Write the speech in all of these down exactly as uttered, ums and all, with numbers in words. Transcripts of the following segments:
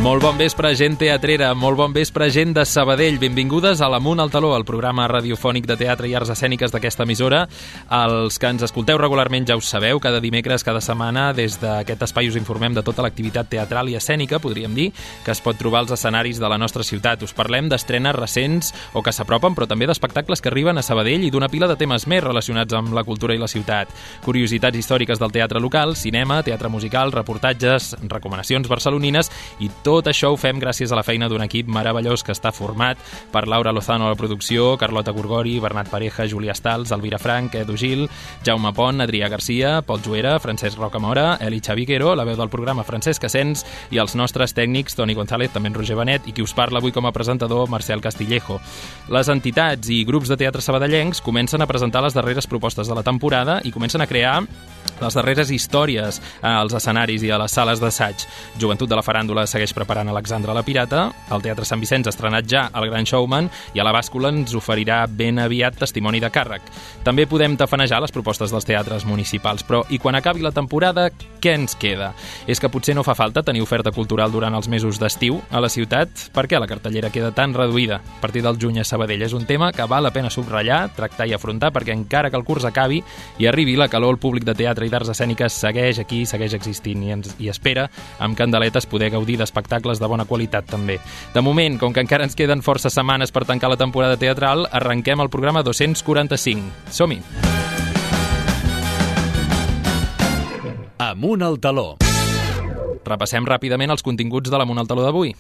Molt bon vespre, gent teatrera, molt bon vespre, gent de Sabadell. Benvingudes a l'Amunt al Taló, el programa radiofònic de teatre i arts escèniques d'aquesta emissora. Els que ens escolteu regularment ja us sabeu, cada dimecres, cada setmana, des d'aquest espai us informem de tota l'activitat teatral i escènica, podríem dir, que es pot trobar als escenaris de la nostra ciutat. Us parlem d'estrenes recents o que s'apropen, però també d'espectacles que arriben a Sabadell i d'una pila de temes més relacionats amb la cultura i la ciutat. Curiositats històriques del teatre local, cinema, teatre musical, reportatges, recomanacions barcelonines i tot això ho fem gràcies a la feina d'un equip meravellós que està format per Laura Lozano a la producció, Carlota Gorgori, Bernat Pareja, Júlia Stals, Elvira Frank, Edu Gil, Jaume Pont, Adrià Garcia, Pol Juera, Francesc Rocamora, Eli Xaviquero, la veu del programa Francesc Asens i els nostres tècnics Toni González, també en Roger Benet, i qui us parla avui com a presentador, Marcel Castillejo. Les entitats i grups de teatre sabadellencs comencen a presentar les darreres propostes de la temporada i comencen a crear les darreres històries als escenaris i a les sales d'assaig. Joventut de la Faràndula segueix preparant Alexandra la Pirata, el Teatre Sant Vicenç ha estrenat ja El Gran Showman i a la Bàscula ens oferirà ben aviat Testimoni de càrrec. També podem tafanejar les propostes dels teatres municipals, però i quan acabi la temporada, què ens queda? És que potser no fa falta tenir oferta cultural durant els mesos d'estiu a la ciutat? Per què la cartellera queda tan reduïda a partir del juny a Sabadell? És un tema que val la pena subratllar, tractar i afrontar, perquè encara que el curs acabi i arribi la calor, el públic de teatre i d'arts escèniques segueix aquí, segueix existint i, ens, i espera amb candeletes poder gaudir d'espectacles de bona qualitat també. De moment, com que encara ens queden força setmanes per tancar la temporada teatral, arrenquem el programa dos-cents quaranta-cinc. Som-hi! Amunt al Taló. Repassem ràpidament els continguts de l'Amunt al Taló d'avui.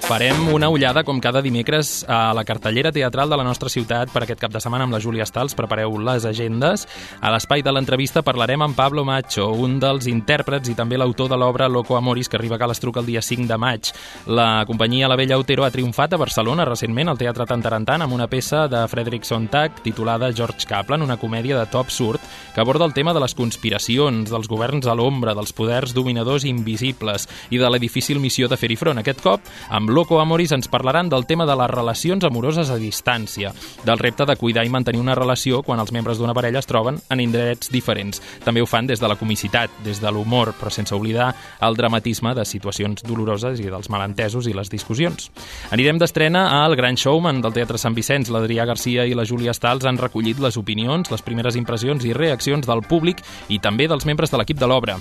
Farem una ullada, com cada dimecres, a la cartellera teatral de la nostra ciutat per aquest cap de setmana amb la Júlia Stals. Prepareu les agendes. A l'espai de l'entrevista parlarem amb Pablo Macho, un dels intèrprets i també l'autor de l'obra Loco Amoris, que arriba a Calestruc el dia cinc de maig. La companyia La Bella Otero ha triomfat a Barcelona recentment al Teatre Tantarantan amb una peça de Frederic Sontag titulada George Kaplan, una comèdia de to absurd que aborda el tema de les conspiracions, dels governs a l'ombra, dels poders dominadors invisibles i de la difícil missió de fer-hi front. Aquest cop, amb Loco Amoris ens parlaran del tema de les relacions amoroses a distància, del repte de cuidar i mantenir una relació quan els membres d'una parella es troben en indrets diferents. També ho fan des de la comicitat, des de l'humor, però sense oblidar el dramatisme de situacions doloroses i dels malentesos i les discussions. Anirem d'estrena al Gran Showman del Teatre Sant Vicenç. L'Adrià Garcia i la Júlia Stals han recollit les opinions, les primeres impressions i reaccions del públic i també dels membres de l'equip de l'obra.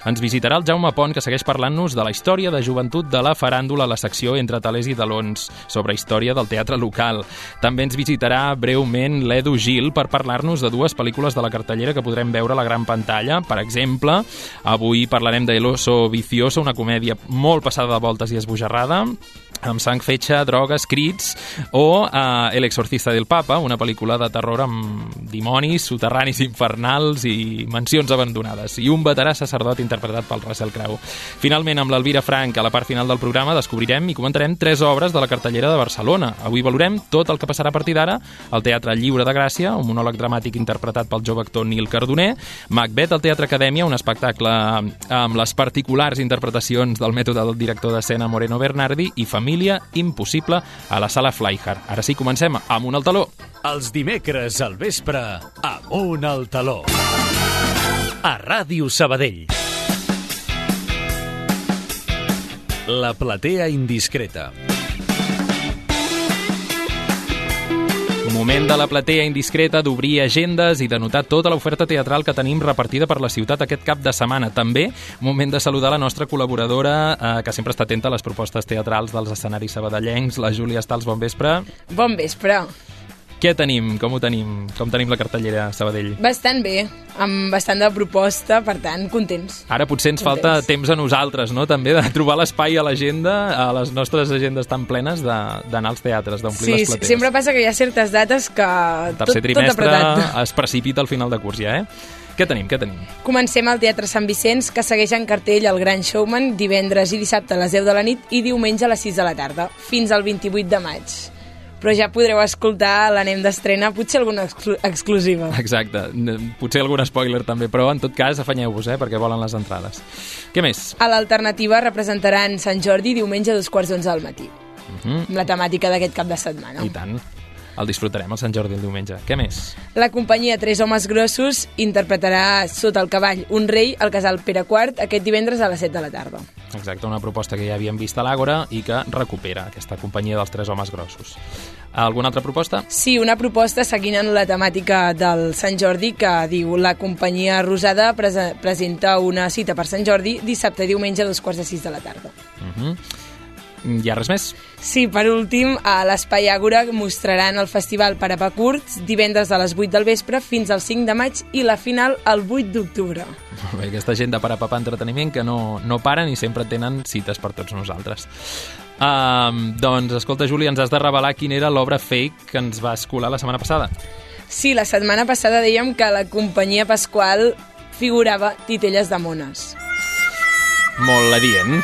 Ens visitarà el Jaume Pont, que segueix parlant-nos de la història de joventut de la Faràndula, la secció entre talers i talons, sobre història del teatre local. També ens visitarà breument l'Edu Gil per parlar-nos de dues pel·lícules de la cartellera que podrem veure a la gran pantalla. Per exemple, avui parlarem de El oso vicioso, una comèdia molt passada de voltes i esbojarrada, amb sang, fetge, drogues, crits, o uh, El exorcista del papa, una pel·lícula de terror amb dimonis, soterranis infernals i mansions abandonades, i un veterà sacerdot interpretat pel Russell Crowe. Finalment, amb l'Elvira Frank, a la part final del programa, descobrirem i comentarem tres obres de la cartellera de Barcelona. Avui valorem tot el que passarà a partir d'ara al Teatre Lliure de Gràcia, un monòleg dramàtic interpretat pel jove actor Nil Cardoner, Macbeth al Teatre Acadèmia, un espectacle amb les particulars interpretacions del mètode del director d'escena Moreno Bernardi, i Família Impossible a la Sala Flyhard. Ara sí, comencem Amunt al Taló. Els dimecres al vespre, Amunt al Taló. A Ràdio Sabadell. La platea indiscreta. Moment de la platea indiscreta, d'obrir agendes i de notar tota l'oferta teatral que tenim repartida per la ciutat aquest cap de setmana. També moment de saludar la nostra col·laboradora, eh, que sempre està atenta a les propostes teatrals dels escenaris sabadellencs, la Júlia Stals. Bon vespre. Bon vespre. Què tenim? Com ho tenim? Com tenim la cartellera a Sabadell? Bastant bé, amb bastant de proposta, per tant, contents. Ara potser ens falta temps a nosaltres, no?, també, de trobar l'espai a l'agenda, a les nostres agendes tan plenes, d'anar als teatres, d'omplir sí, les platees. Sí, sempre passa que hi ha certes dates que el tot, tercer trimestre tot apretat. Es precipita al final de curs ja, eh? Què tenim, què tenim? Comencem al Teatre Sant Vicenç, que segueix en cartell El Gran Showman divendres i dissabte a les deu de la nit i diumenge a les sis de la tarda, fins al vint-i-vuit de maig. Però ja podreu escoltar l'anem d'estrena, potser alguna exclu exclusiva. Exacte, potser algun spoiler també, però en tot cas afanyeu-vos, eh, perquè volen les entrades. Què més? A l'Alternativa representaran Sant Jordi diumenge a dos quarts d'onze del matí, uh-huh. amb la temàtica d'aquest cap de setmana. I tant. el disfrutarem el Sant Jordi el diumenge. Què més? La companyia Tres Homes Grossos interpretarà Sota el cavall, un rei al casal Pere quart aquest divendres a les set de la tarda. Exacte, una proposta que ja havíem vist a l'Àgora i que recupera aquesta companyia dels Tres Homes Grossos. Alguna altra proposta? Sí, una proposta seguint en la temàtica del Sant Jordi que diu la companyia Rosada prese presenta una cita per Sant Jordi dissabte i diumenge a dos quarts de sis de la tarda. Uh-huh. Hi ha res més? Sí, per últim, a l'Espai Àgora mostraran el festival per a pa curts divendres a les vuit del vespre fins al cinc de maig i la final el vuit d'octubre. Molt bé, aquesta gent de per a papà entreteniment que no, no paren i sempre tenen cites per tots nosaltres. Uh, doncs, escolta, Júlia, ens has de revelar quina era l'obra fake que ens va escolar la setmana passada. Sí, la setmana passada dèiem que la companyia Pasqual figurava Titelles de mones. Molt adient.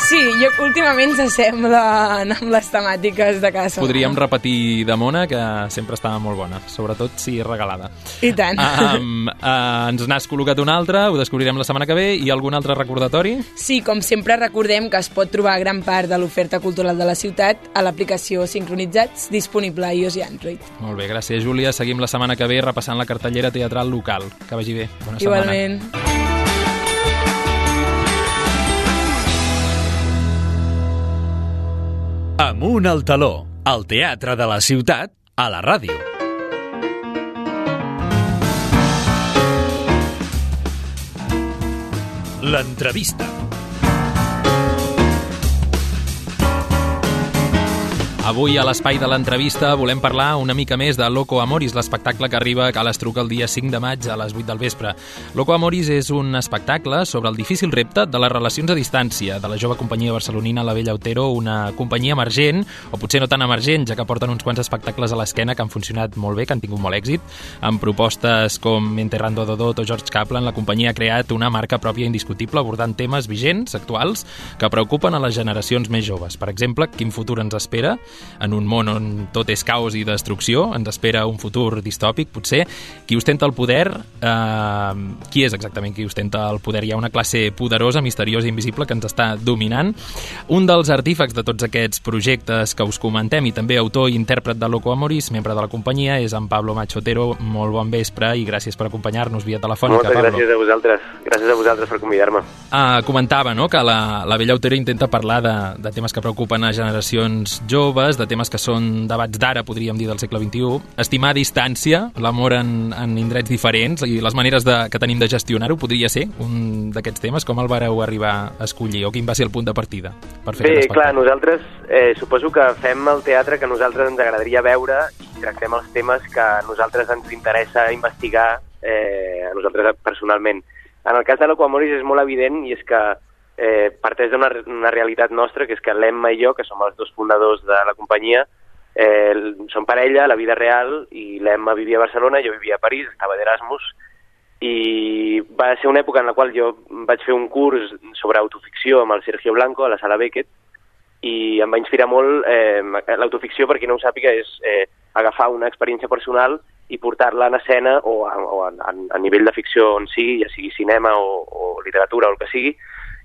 Sí, jo últimament s'assemblen amb les temàtiques de casa. Podríem repetir de mona, que sempre estava molt bona, sobretot si regalada. I tant. Um, uh, ens n'has col·locat una altra, ho descobrirem la setmana que ve, i algun altre recordatori? Sí, com sempre recordem que es pot trobar gran part de l'oferta cultural de la ciutat a l'aplicació Sincronitzats, disponible a iOS i Android. Molt bé, gràcies, Júlia. Seguim la setmana que ve repassant la cartellera teatral local. Que vagi bé. Bona setmana. Igualment. Amunt al taló, el teatre de la ciutat, a la ràdio. L'entrevista. Avui a l'espai de l'entrevista volem parlar una mica més de Loco Amoris, l'espectacle que arriba a Cal Estruc el dia cinc de maig a les vuit del vespre. Loco Amoris és un espectacle sobre el difícil repte de les relacions a distància de la jove companyia barcelonina La Bella Otero, una companyia emergent, o potser no tan emergent, ja que porten uns quants espectacles a l'esquena que han funcionat molt bé, que han tingut molt èxit. Amb propostes com Enterrando Dodot o George Kaplan, la companyia ha creat una marca pròpia indiscutible abordant temes vigents, actuals, que preocupen a les generacions més joves. Per exemple, quin futur ens espera? En un món on tot és caos i destrucció, ens espera un futur distòpic, potser. Qui ostenta el poder? Eh, qui és exactament qui ostenta el poder? Hi ha una classe poderosa, misteriosa i invisible que ens està dominant. Un dels artífecs de tots aquests projectes que us comentem i també autor i intèrpret de Loco Amoris, membre de la companyia, és en Pablo Macho Otero. Molt bon vespre i gràcies per acompanyar-nos via telefònica, Moltes Pablo. gràcies a vosaltres. Gràcies a vosaltres per convidar-me. Ah, comentava, no?, que la, la Bella Otero intenta parlar de, de temes que preocupen a generacions joves, de temes que són debats d'ara, podríem dir, del segle vint-i-u. Estimar a distància, l'amor en, en indrets diferents i les maneres de, que tenim de gestionar-ho podria ser un d'aquests temes. Com el vareu arribar a escollir o quin va ser el punt de partida per fer Bé, aquest clar, espectacle? nosaltres eh, suposo que fem el teatre que a nosaltres ens agradaria veure i tractem els temes que a nosaltres ens interessa investigar, eh, a nosaltres personalment. En el cas de Loco Amoris és molt evident i és que eh, parteix d'una una realitat nostra, que és que l'Emma i jo, que som els dos fundadors de la companyia, eh, som parella a la vida real i l'Emma vivia a Barcelona, jo vivia a París, estava d'Erasmus, i va ser una època en la qual jo vaig fer un curs sobre autoficció amb el Sergio Blanco a la Sala Beckett i em va inspirar molt. eh, L'autoficció, per qui no ho sàpiga, és eh, agafar una experiència personal i portar-la en escena o, a, o a, a nivell de ficció on sigui, ja sigui cinema o, o literatura o el que sigui,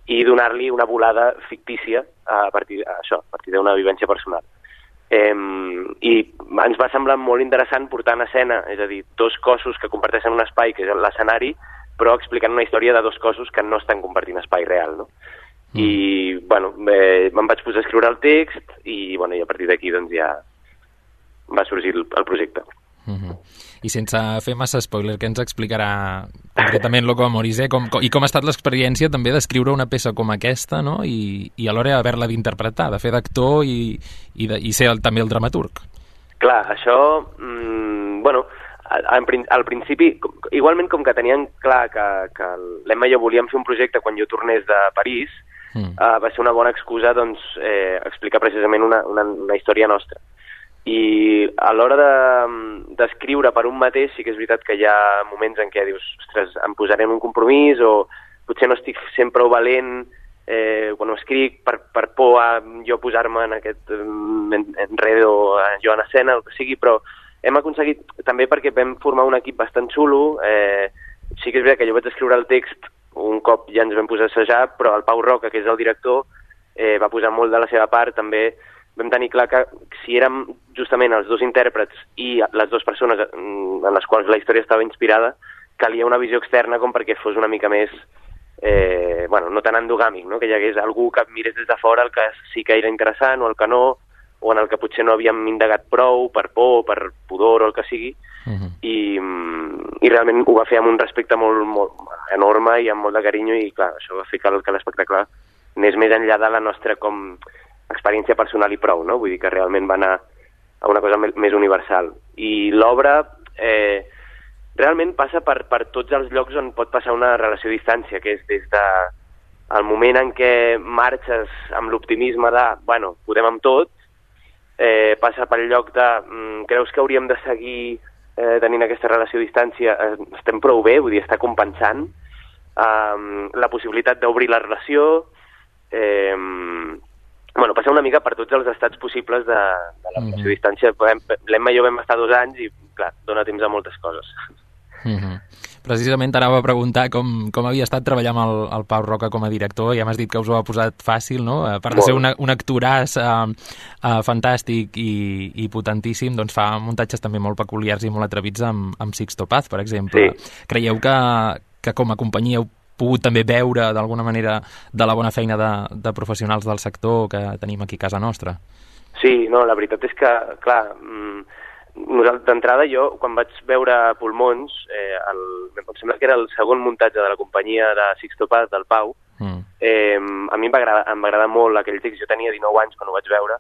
i donar-li una volada fictícia a partir, a això, a partir d'una vivència personal. Eh, I ens va semblar molt interessant portar en escena, és a dir, dos cossos que comparteixen un espai, que és l'escenari, però explicant una història de dos cossos que no estan compartint espai real, no? Mm. I, bueno, eh, me'n vaig posar a escriure el text i, bueno, i a partir d'aquí doncs ja va sorgir el, el projecte. Mm-hmm. I sense fer massa spoiler, què ens explicarà concretament Loco Amoris, eh? Com, com, i com ha estat l'experiència també d'escriure una peça com aquesta, no? I, i alhora haver-la d'interpretar, de fer d'actor i, i, de, i ser el, també el dramaturg. Clar, això, mmm, bueno, al, al principi, igualment com que tenien clar que, que l'Emma i jo volíem fer un projecte quan jo tornés de París, mm. uh, va ser una bona excusa, doncs, eh, explicar precisament una, una, una història nostra. I a l'hora d'escriure de, per un mateix sí que és veritat que hi ha moments en què dius, ostres, em posaré en un compromís o potser no estic sent prou valent eh, quan ho escric per, per por a jo posar-me en aquest enredo jo en escena, el que sigui, però hem aconseguit, també perquè vam formar un equip bastant xulo, eh, sí que és veritat que jo vaig escriure el text un cop ja ens vam posar a assajar, però el Pau Roca, que és el director, eh, va posar molt de la seva part, també vam tenir clar que si érem justament els dos intèrprets i les dues persones en les quals la història estava inspirada, calia una visió externa com perquè fos una mica més, eh, bueno, no tan endogàmic, no? Que hi hagués algú que mirés des de fora el que sí que era interessant o el que no, o en el que potser no havíem indagat prou per por, per pudor o el que sigui, uh-huh. I, i realment ho va fer amb un respecte molt, molt enorme i amb molt de carinyo, i clar, això va fer que, que l'espectacle anés més enllà de la nostra com experiència personal i prou, no? Vull dir que realment va anar a una cosa més universal. I l'obra eh, realment passa per, per tots els llocs on pot passar una relació a distància, que és des de el moment en què marxes amb l'optimisme de, bueno, podem amb tot, eh, passa pel lloc de, mm, creus que hauríem de seguir eh, tenint aquesta relació a distància, eh, estem prou bé, vull dir, està compensant, eh, la possibilitat d'obrir la relació, eh, bueno, passa una mica per tots els estats possibles de, de la relació a distància. L'Emma i jo vam estar dos anys i, clar, dona temps a moltes coses. Mm-hmm. Precisament t'anava a preguntar com, com havia estat treballar amb el, el Pau Roca com a director. Ja m'has dit que us ho ha posat fàcil, no? A part de ser una, un actoràs uh, uh, fantàstic i, i potentíssim, doncs fa muntatges també molt peculiars i molt atrevits amb, amb Sixto Paz, per exemple. Sí. Creieu que, que com a companyia heu pogut també veure d'alguna manera de la bona feina de, de professionals del sector que tenim aquí a casa nostra? Sí, no, la veritat és que, clar, d'entrada jo, quan vaig veure Pulmons, eh, el, em sembla que era el segon muntatge de la companyia de Sixto Paz, del Pau, mm. eh, a mi em va, agradar, em va agradar molt aquell text. Jo tenia dinou anys quan ho vaig veure,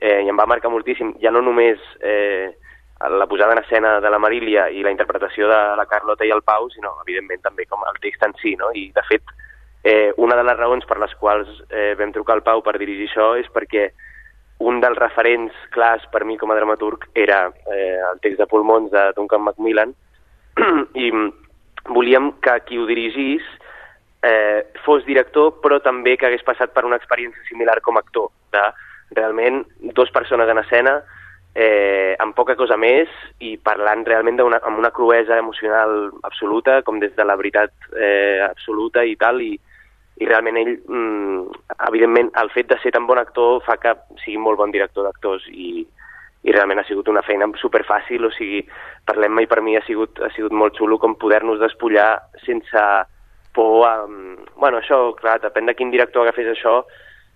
eh, i em va marcar moltíssim, ja no només eh, la posada en escena de la Marília i la interpretació de la Carlota i el Pau, sinó, evidentment, també com el text en si, no? I, de fet, eh, una de les raons per les quals eh, vam trucar al Pau per dirigir això és perquè un dels referents clars per mi com a dramaturg era eh, el text de Pulmons de Duncan Macmillan, i volíem que qui ho dirigís eh, fos director, però també que hagués passat per una experiència similar com a actor, de realment dues persones en escena, eh, amb poca cosa més, i parlant realment una, amb una cruesa emocional absoluta, com des de la veritat eh, absoluta i tal, i i realment ell, mm, evidentment, el fet de ser tan bon actor fa que sigui molt bon director d'actors, i, i realment ha sigut una feina superfàcil. O sigui, per l'Emma i per mi ha sigut, ha sigut molt xulo com poder-nos despullar sense por a... Bueno, això, clar, depèn de quin director agafés això,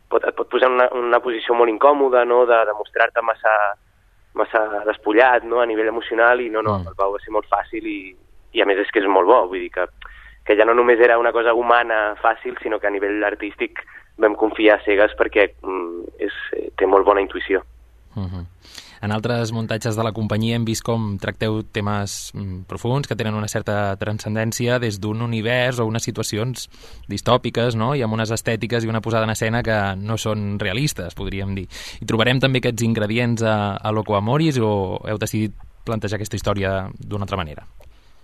pot, et pot posar en una, una posició molt incòmoda, no?, de, de mostrar-te massa, massa despullat, no?, a nivell emocional, i no, no, el Pau va ser molt fàcil, i, i a més és que és molt bo, vull dir que que ja no només era una cosa humana fàcil, sinó que a nivell artístic vam confiar a cegues perquè mm, és, té molt bona intuïció. Uh-huh. En altres muntatges de la companyia hem vist com tracteu temes mm, profuns que tenen una certa transcendència des d'un univers o unes situacions distòpiques, no? I amb unes estètiques i una posada en escena que no són realistes, podríem dir. I trobarem també aquests ingredients a, a Loco Amoris, o heu decidit plantejar aquesta història d'una altra manera?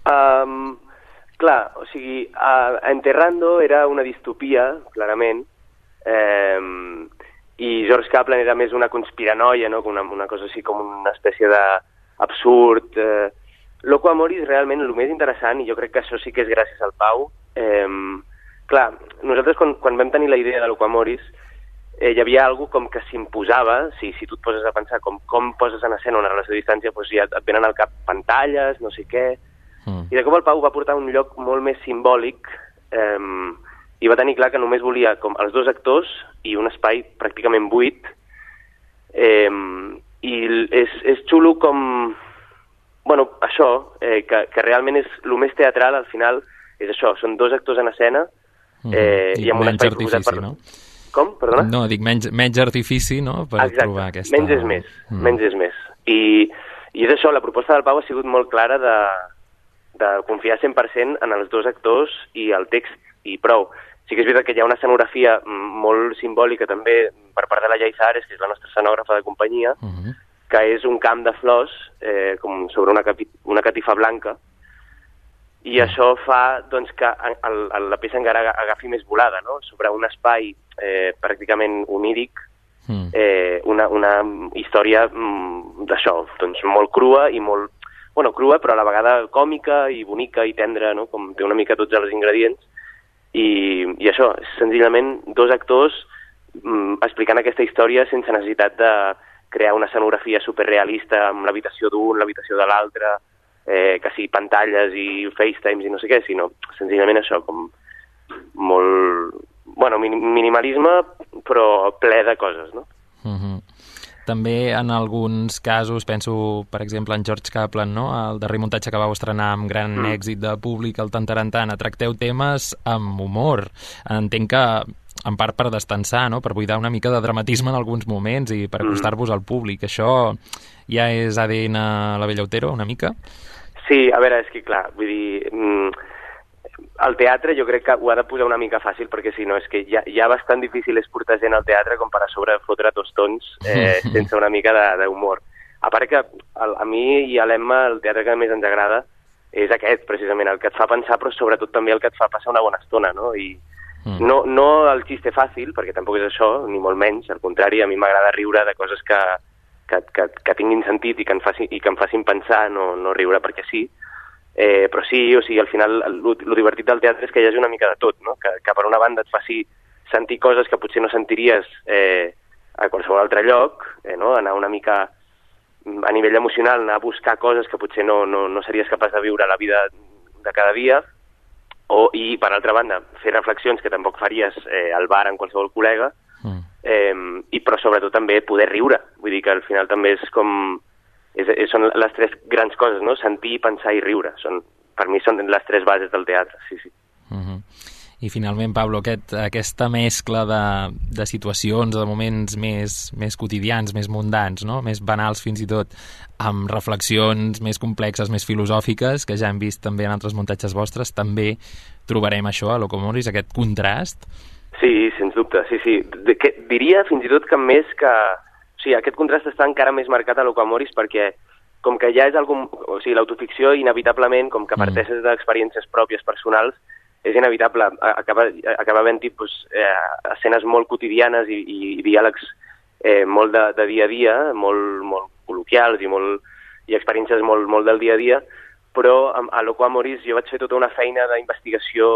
Um... Clar, o sigui, uh, Enterrando era una distopia, clarament, eh, i George Kaplan era més una conspiranoia, no?, una, una cosa així com una espècie d'absurd. Eh. Loco Amoris, realment, el més interessant, i jo crec que això sí que és gràcies al Pau, eh, clar, nosaltres quan, quan vam tenir la idea de Loco Amoris, eh, hi havia alguna com que s'imposava, si, si tu et poses a pensar com, com poses en escena una relació a distància, doncs ja et venen al cap pantalles, no sé què. I de cop el Pau va portar un lloc molt més simbòlic, eh, i va tenir clar que només volia com els dos actors i un espai pràcticament buit, eh, i és, és xulo com, bueno, això, eh, que, que realment és el més teatral, al final és això, són dos actors en escena, eh, i, i amb un espai proposat per... No? Com? Perdona? No, dic menys, menys artifici, no?, per Exacte. Trobar aquesta... menys és més, mm. menys és més. I, i és això, la proposta del Pau ha sigut molt clara de... de confiar cent per cent en els dos actors i el text, i prou. Sí que és veritat que hi ha una escenografia molt simbòlica també per part de la Yaiza Ares, que és la nostra escenògrafa de companyia, uh-huh. que és un camp de flors eh, com sobre una, capi, una catifa blanca, i uh-huh. això fa doncs, que el, el, la peça encara agafi més volada, no?, sobre un espai eh, pràcticament oníric, uh-huh. eh, una, una història mm, d'això, doncs molt crua i molt bueno, crua, però a la vegada còmica i bonica i tendra, no?, com té una mica tots els ingredients, i, i això, és senzillament dos actors mm, explicant aquesta història sense necessitat de crear una escenografia superrealista amb l'habitació d'un, l'habitació de l'altre, eh, que sigui pantalles i FaceTimes i no sé què, sinó senzillament això, com molt... Bueno, minimalisme, però ple de coses, no? Uh-huh. També en alguns casos, penso, per exemple, en George Kaplan, no? El darrer muntatge que vau estrenar amb gran mm. èxit de públic, el Tantarantana, tracteu temes amb humor. Entenc que, en part, per destensar, no? Per buidar una mica de dramatisme en alguns moments i per acostar-vos al públic. Això ja és A D N a la Bella Otero, una mica? Sí, a veure, és que, clar, vull dir... Mm, el teatre jo crec que ho ha de posar una mica fàcil, perquè si no és que ja, ja bastant difícil és portar gent al teatre com per a sobre fotre tostons eh, sense una mica d'humor. A part que a, a mi i a l'Emma el teatre que més ens agrada és aquest, precisament, el que et fa pensar, però sobretot també el que et fa passar una bona estona, no? I mm. no, no el xiste fàcil, perquè tampoc és això, ni molt menys, al contrari, a mi m'agrada riure de coses que, que, que, que tinguin sentit i que, em faci, i que em facin pensar, no, no riure perquè sí. Eh, però sí, o sigui, al final el divertit del teatre és que hi hagi una mica de tot, no? Que, que per una banda et faci sentir coses que potser no sentiries eh, a qualsevol altre lloc, eh, no? Anar una mica a nivell emocional, anar a buscar coses que potser no, no, no series capaç de viure a la vida de cada dia, o, i per altra banda fer reflexions que tampoc faries eh, al bar amb qualsevol col·lega, mm. eh, i però sobretot també poder riure, vull dir que al final també és com... És, és, són les tres grans coses, no? Sentir, pensar i riure. Són, per mi són les tres bases del teatre, sí, sí. Uh-huh. I finalment, Pablo, aquest, aquesta mescla de, de situacions, de moments més, més quotidians, més mundans, no? Més banals fins i tot, amb reflexions més complexes, més filosòfiques, que ja hem vist també en altres muntatges vostres, també trobarem això a Locomoris, aquest contrast? Sí, sens dubte, sí, sí. De, que, diria fins i tot que més que... O sigui, aquest contrast està encara més marcat a Locomoris perquè com que ja és algun... O sigui, l'autoficció inevitablement, com que parteixes d'experiències pròpies personals, és inevitable. Acaba, acaba havent-hi pues, eh, escenes molt quotidianes i, i, i diàlegs eh, molt de, de dia a dia, molt, molt col·loquials i, molt, i experiències molt, molt del dia a dia, però a, a Locomoris jo vaig fer tota una feina d'investigació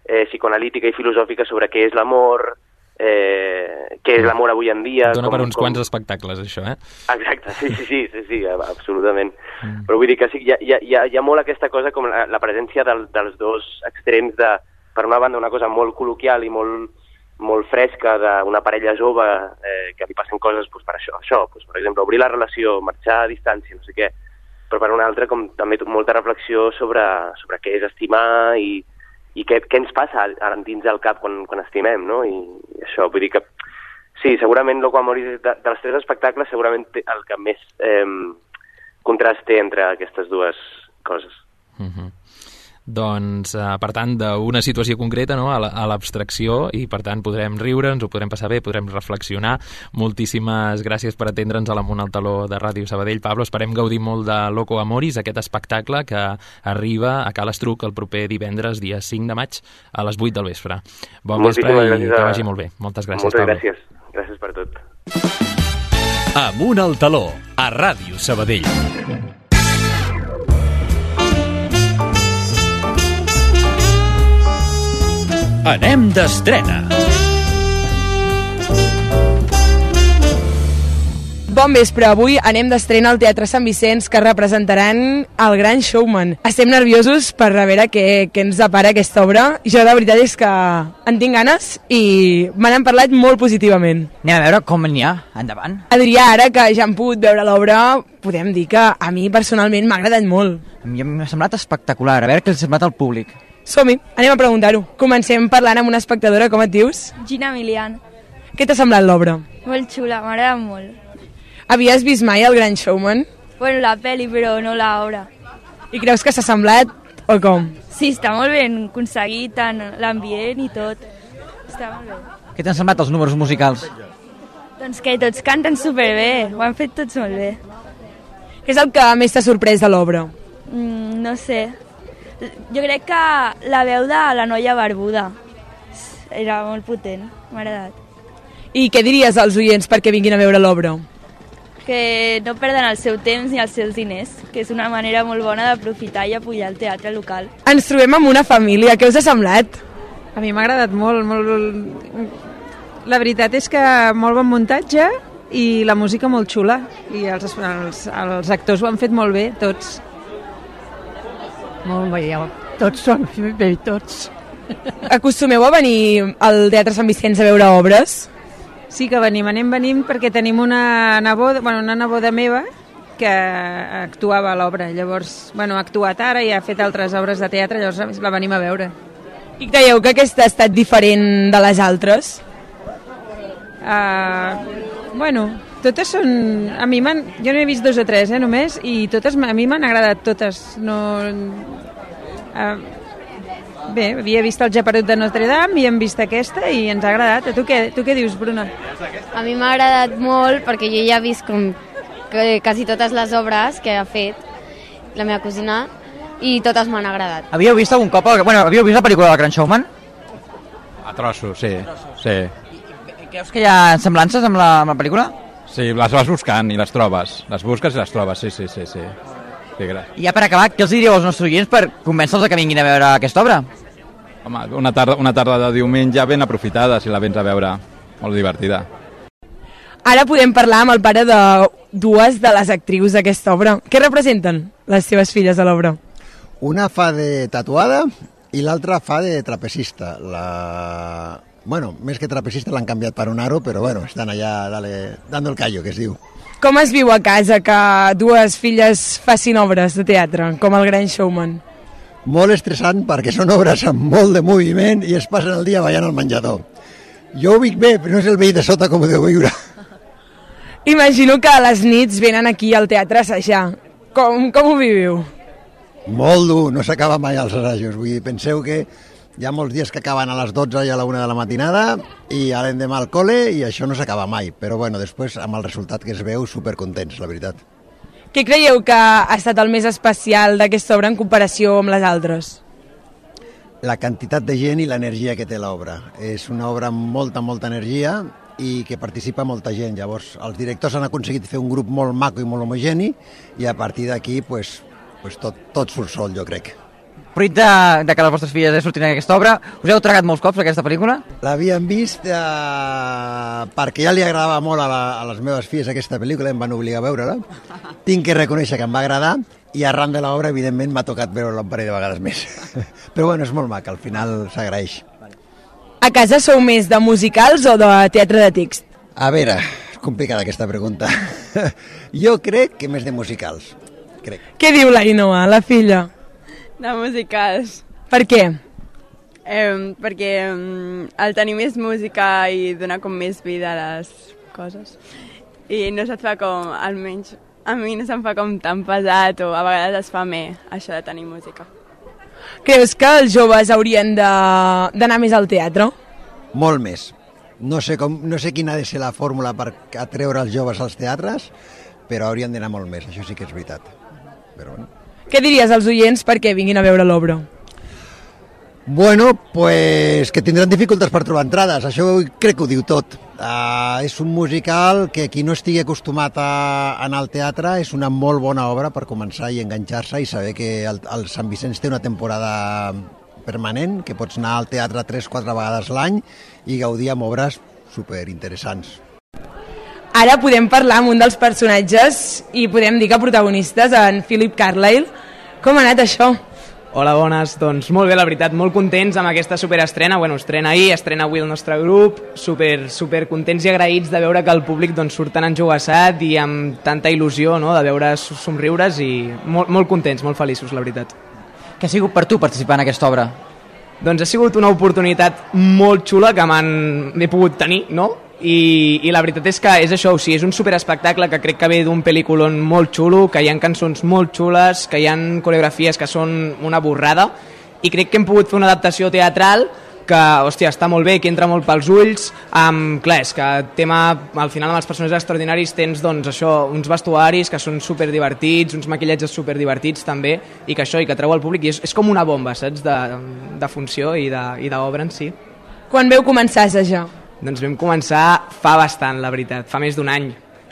eh, psicoanalítica i filosòfica sobre què és l'amor, Eh, què és l'amor avui en dia... Dona com, per uns com... quants espectacles, això, eh? Exacte, sí, sí, sí, sí, sí absolutament. Mm. Però vull dir que sí, hi ha, hi ha, hi ha molt aquesta cosa com la, la presència del, dels dos extrems de, per una banda, una cosa molt col·loquial i molt, molt fresca d'una parella jove eh, que li passen coses pues, per això, això pues, per exemple, obrir la relació, marxar a distància, no sé què, però per una altra, com també molta reflexió sobre, sobre què és estimar i i què, què ens passa dins del cap quan, quan estimem, no? I, i això, vull dir que sí, segurament Locomoris de, dels tres espectacles segurament el que més eh, contrast té entre aquestes dues coses. Uh-huh. Doncs, eh, per tant, d'una situació concreta, no?, a l'abstracció, i per tant podrem riure, ens ho podrem passar bé, podrem reflexionar. Moltíssimes gràcies per atendre'ns a l'Amunt al Taló de Ràdio Sabadell. Pablo, esperem gaudir molt de Locomoris, aquest espectacle que arriba a Cal Estruc el proper divendres, dia cinc de maig, a les vuit del vespre. Bon vespre i que vagi molt bé. Moltes gràcies, Moltes Pablo. gràcies. Gràcies per tot. Amunt al Taló, a Ràdio Sabadell. Anem d'estrena. Bon vespre, avui anem d'estrena al Teatre Sant Vicenç, que representaran El Gran Showman. Estem nerviosos per a veure què, què ens depara aquesta obra. Jo la veritat és que en tinc ganes i me n'han parlat molt positivament. Anem a veure com n'hi ha. Endavant. Adrià, ara que ja hem pogut veure l'obra, podem dir que a mi personalment m'ha agradat molt. A mi m'ha semblat espectacular, a veure què els ha semblat al públic. Som-hi, anem a preguntar-ho. Comencem parlant amb una espectadora, com et dius? Gina Milian. Què t'ha semblat l'obra? Molt xula, m'agrada molt. Havies vist mai El Gran Showman? Bueno, la peli, però no l'obra. I creus que s'ha semblat o com? Sí, està molt ben aconseguit, tant l'ambient i tot. Està molt bé. Què t'han semblat els números musicals? Doncs que tots canten superbé, ho han fet tots molt bé. Què és el que més t'ha sorprès de l'obra? Mm, no sé. Jo crec que la veu de la noia barbuda era molt potent, m'ha agradat. I què diries als oients perquè vinguin a veure l'obra? Que no perden el seu temps ni els seus diners, que és una manera molt bona d'aprofitar i apoyar el teatre local. Ens trobem amb una família, què us ha semblat? A mi m'ha agradat molt, molt... La veritat és que molt bon muntatge i la música molt xula. I els, els, els actors ho han fet molt bé, tots. Molt bé, tots són bé, tots. Acostumeu a venir al Teatre Sant Vicenç a veure obres? Sí que venim, anem, venim perquè tenim una neboda, bueno, una neboda meva que actuava a l'obra. Llavors, bueno, ha actuat ara i ha fet altres obres de teatre, llavors la venim a veure. I creieu que aquesta ha estat diferent de les altres? Uh, bueno, totes són... A mi m'han... Jo n'he vist dos o tres, eh, només, i totes a mi m'han agradat totes. No... Uh, bé, havia vist el Geperut de Notre Dame i hem vist aquesta i ens ha agradat. A tu què, tu què dius, Bruna? A mi m'ha agradat molt perquè jo ja he vist com que quasi totes les obres que ha fet la meva cosina i totes m'han agradat. Havíeu vist algun cop... Bueno, havíeu vist la pel·lícula del Gran Showman? A trossos, sí. sí. I creus que hi ha semblances amb la, amb la pel·lícula? Sí, les vas buscant i les trobes. Les busques i les trobes, sí, sí, sí. sí. sí I ja per acabar, què els diríeu als nostres oients per convèncer-los que vinguin a veure aquesta obra? Home, una tarda, una tarda de diumenge ben aprofitada, si la vens a veure. Molt divertida. Ara podem parlar amb el pare de dues de les actrius d'aquesta obra. Què representen les seves filles a l'obra? Una fa de tatuada i l'altra fa de trapecista. La... Bueno, més que trapecista l'han canviat per un aro, però bueno, estan allà dale, dando el callo, que es diu. Com es viu a casa que dues filles facin obres de teatre, com el Gran Showman? Molt estressant perquè són obres amb molt de moviment i es passen el dia ballant al menjador. Jo ho vic bé, però no és el veí de sota com ho deu viure. Imagino que a les nits venen aquí al teatre a assajar. Com, com ho viviu? Molt dur, no s'acaba mai els assajos. Vull dir, penseu que hi ha molts dies que acaben a les dotze i a la una de la matinada i a l'endemà al col·le i això no s'acaba mai. Però bueno, després amb el resultat que es veu, supercontents, la veritat. Què creieu que ha estat el més especial d'aquesta obra en comparació amb les altres? La quantitat de gent i l'energia que té l'obra. És una obra amb molta, molta energia i que participa molta gent. Llavors, els directors han aconseguit fer un grup molt maco i molt homogeni i a partir d'aquí, pues, pues tot, tot surt sol, jo crec. Fruit de, de que les vostres filles surtin en aquesta obra, us heu tragat molts cops aquesta pel·lícula? L'havíem vist eh, perquè ja li agradava molt a, la, a les meves filles aquesta pel·lícula, em van obligar a veure-la. Tinc que reconèixer que em va agradar i arran de l'obra, evidentment, m'ha tocat veure-la un parell de vegades més. Però bueno, és molt maca, al final s'agraeix. A casa sou més de musicals o de teatre de text? A veure, és complicada aquesta pregunta. Jo crec que més de musicals. Crec. Què diu l'Ainoa, la filla? De musicals. Per què? Eh, perquè eh, el tenir més música i donar com més vida a les coses. I no se't fa com, almenys, a mi no se'm fa com tan pesat o a vegades es fa més això de tenir música. Creus que els joves haurien d'anar més al teatre? Molt més. No sé, com, no sé quina ha de ser la fórmula per atreure els joves als teatres, però haurien d'anar molt més, això sí que és veritat. Però bueno. Què diries als oients perquè vinguin a veure l'obra? Bueno, pues que tindran dificultats per trobar entrades, això crec que ho diu tot. Uh, és un musical que qui no estigui acostumat a anar al teatre és una molt bona obra per començar i enganxar-se i saber que el, el Sant Vicenç té una temporada permanent, que pots anar al teatre tres o quatre vegades l'any i gaudir amb obres superinteressants. Ara podem parlar amb un dels personatges i podem dir que protagonistes, en Philip Carlyle. Com ha anat això? Hola, bones. Doncs molt bé, la veritat, molt contents amb aquesta superestrena. Bueno, estrena ahir, estrena avui el nostre grup. Super, super contents i agraïts de veure que el públic doncs, surt tan enjogassat i amb tanta il·lusió, no?, de veure somriures i molt, molt contents, molt feliços, la veritat. Què ha sigut per tu participar en aquesta obra? Doncs ha sigut una oportunitat molt xula que m'he pogut tenir, no?, I, i la veritat és que és això, o sigui, és un superespectacle que crec que ve d'un pel·lículon molt xulo, que hi ha cançons molt xules, que hi ha coreografies que són una borrada i crec que hem pogut fer una adaptació teatral que, hòstia, està molt bé, que entra molt pels ulls. Um, clar, és que tema, al final amb els personatges extraordinaris tens doncs això, uns vestuaris que són superdivertits, uns maquillatges superdivertits també, i que això, i que treu al públic, i és, és com una bomba, saps, de, de funció i d'obra en si. Quan veu començar a assajar? Doncs vam començar fa bastant, la veritat, fa més d'un any.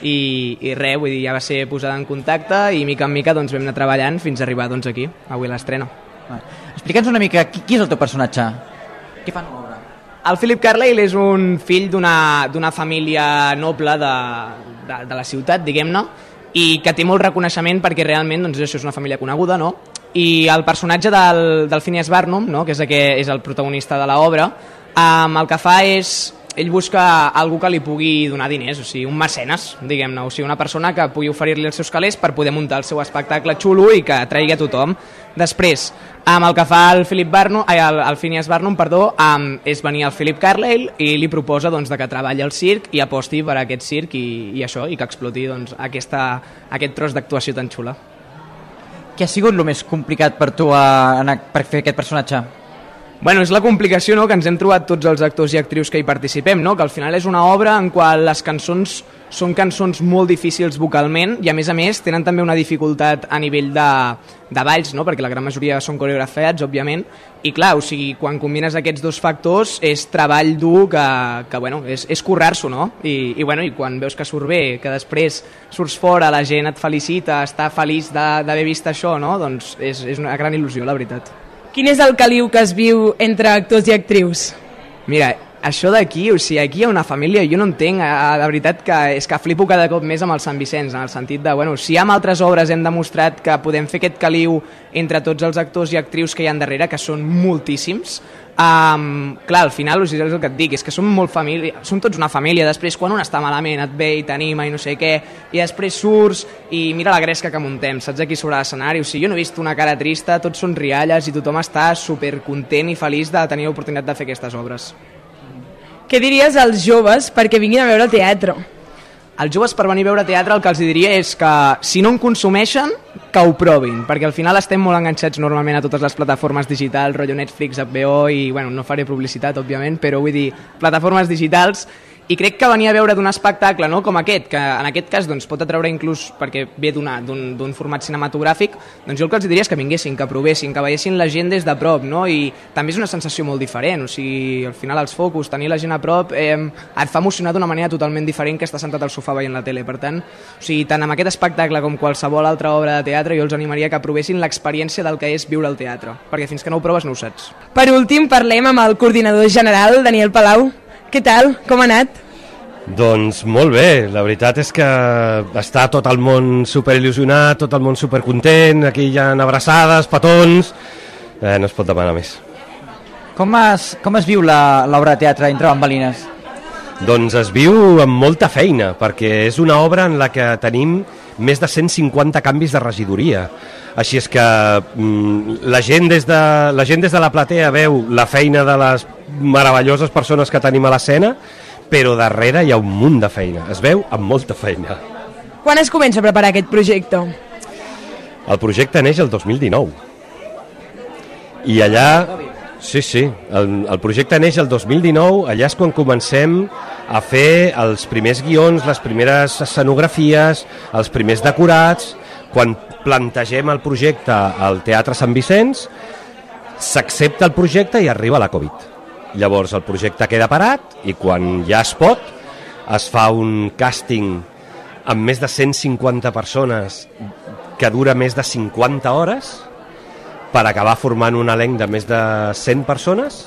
I, i res, vull dir, ja va ser posada en contacte i mica en mica doncs, vam anar treballant fins a arribar doncs, aquí, avui a l'estrena. Explica'ns una mica, qui, qui és el teu personatge? Què fan a l'obra? el Philip Carlyle és un fill d'una família noble de, de, de la ciutat, diguem-ne, i que té molt reconeixement perquè realment doncs, això és una família coneguda, no? I el personatge del, del Phineas Barnum, no? que és el, que és el protagonista de l'obra, um, el que fa és... ell busca algú que li pugui donar diners, o sigui, un mecenes, diguem-ne, o sigui, una persona que pugui oferir-li els seus calés per poder muntar el seu espectacle xulo i que atraigui a tothom. Després, amb el que fa el, Philip Barnum, ai, el, el Phineas Barnum, perdó, um, és venir el Philip Carlyle i li proposa doncs, de que treballi al circ i aposti per a aquest circ i, i això, i que exploti doncs, aquesta, aquest tros d'actuació tan xula. Què ha sigut el més complicat per tu a, a, per fer aquest personatge? Bueno, és la complicació, no?, que ens hem trobat tots els actors i actrius que hi participem, no?, que al final és una obra en qual les cançons són cançons molt difícils vocalment i a més a més tenen també una dificultat a nivell de, de balls, no?, perquè la gran majoria són coreografiats, òbviament, i clar, o sigui, quan combines aquests dos factors és treball dur que, que bueno, és, és currar-s'ho, no?, I, i, bueno, i quan veus que surt bé, que després surts fora, la gent et felicita, està feliç d'haver vist això, no?, doncs és, és una gran il·lusió, la veritat. Quin és el caliu que es viu entre actors i actrius? Mira, això d'aquí, o sigui, aquí hi ha una família, jo no entenc, la veritat que és que flipo cada cop més amb el Sant Vicenç, en el sentit de, bueno, si amb altres obres hem demostrat que podem fer aquest caliu entre tots els actors i actrius que hi ha darrere, que són moltíssims, Um, clar, al final és el que et dic, és que som molt família, som tots una família, després quan un està malament et ve i t'anima i no sé què, i després surts i mira la gresca que muntem, saps aquí sobre l'escenari, o sigui, jo no he vist una cara trista, tots són rialles i tothom està supercontent i feliç de tenir l'oportunitat de fer aquestes obres. Què diries als joves perquè vinguin a veure el teatre? als joves per venir a veure teatre el que els diria és que si no en consumeixen, que ho provin, perquè al final estem molt enganxats normalment a totes les plataformes digitals, rotllo Netflix, H B O i, bueno, no faré publicitat, òbviament, però vull dir, plataformes digitals, i crec que venir a veure d'un espectacle, no, com aquest, que en aquest cas doncs, pot atraure inclús perquè ve d'un format cinematogràfic, doncs jo el que els diria és que vinguessin, que provessin, que veiessin la gent des de prop, no? I també és una sensació molt diferent, o sigui, al final els focus, tenir la gent a prop, eh, et fa emocionar d'una manera totalment diferent que estar sentat al sofà veient la tele. Per tant, o sigui, tant amb aquest espectacle com qualsevol altra obra de teatre, jo els animaria que provessin l'experiència del que és viure al teatre, perquè fins que no ho proves no ho saps. Per últim, parlem amb el coordinador general, Daniel Palau. Què tal? Com ha anat? Doncs molt bé, la veritat és que està tot el món superil·lusionat, tot el món supercontent, aquí hi ha abraçades, petons, eh, no es pot demanar més. Com es, com es viu l'obra de teatre entre bambalines? Doncs es viu amb molta feina, perquè és una obra en la que tenim més de cent cinquanta canvis de regidoria. Així és que mm, la, gent des de, la gent des de la platea veu la feina de les meravelloses persones que tenim a l'escena, però darrere hi ha un munt de feina, es veu amb molta feina. Quan es comença a preparar aquest projecte? El projecte neix el dos mil dinou. I allà... Sí, sí, el, el projecte neix el dos mil dinou, allà és quan comencem a fer els primers guions, les primeres escenografies, els primers decorats, quan plantegem el projecte al Teatre Sant Vicenç, s'accepta el projecte i arriba la Covid. Llavors el projecte queda parat i quan ja es pot es fa un càsting amb més de cent cinquanta persones que dura més de cinquanta hores per acabar formant un elenc de més de cent persones,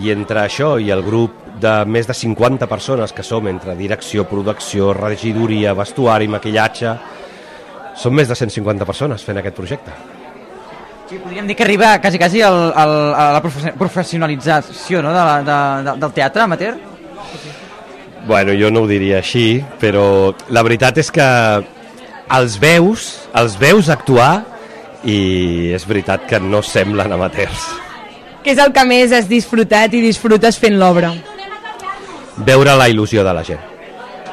i entre això i el grup de més de cinquanta persones que som entre direcció, producció, regidoria, vestuari, maquillatge, són més de cent cinquanta persones fent aquest projecte. Sí, podríem dir que arriba quasi, quasi el, el, a la professionalització, no? de la, de, de, del teatre amateur? Bueno, jo no ho diria així, però la veritat és que els veus, els veus actuar i és veritat que no semblen amateurs. Què és el que més has disfrutat i disfrutes fent l'obra? Veure la il·lusió de la gent.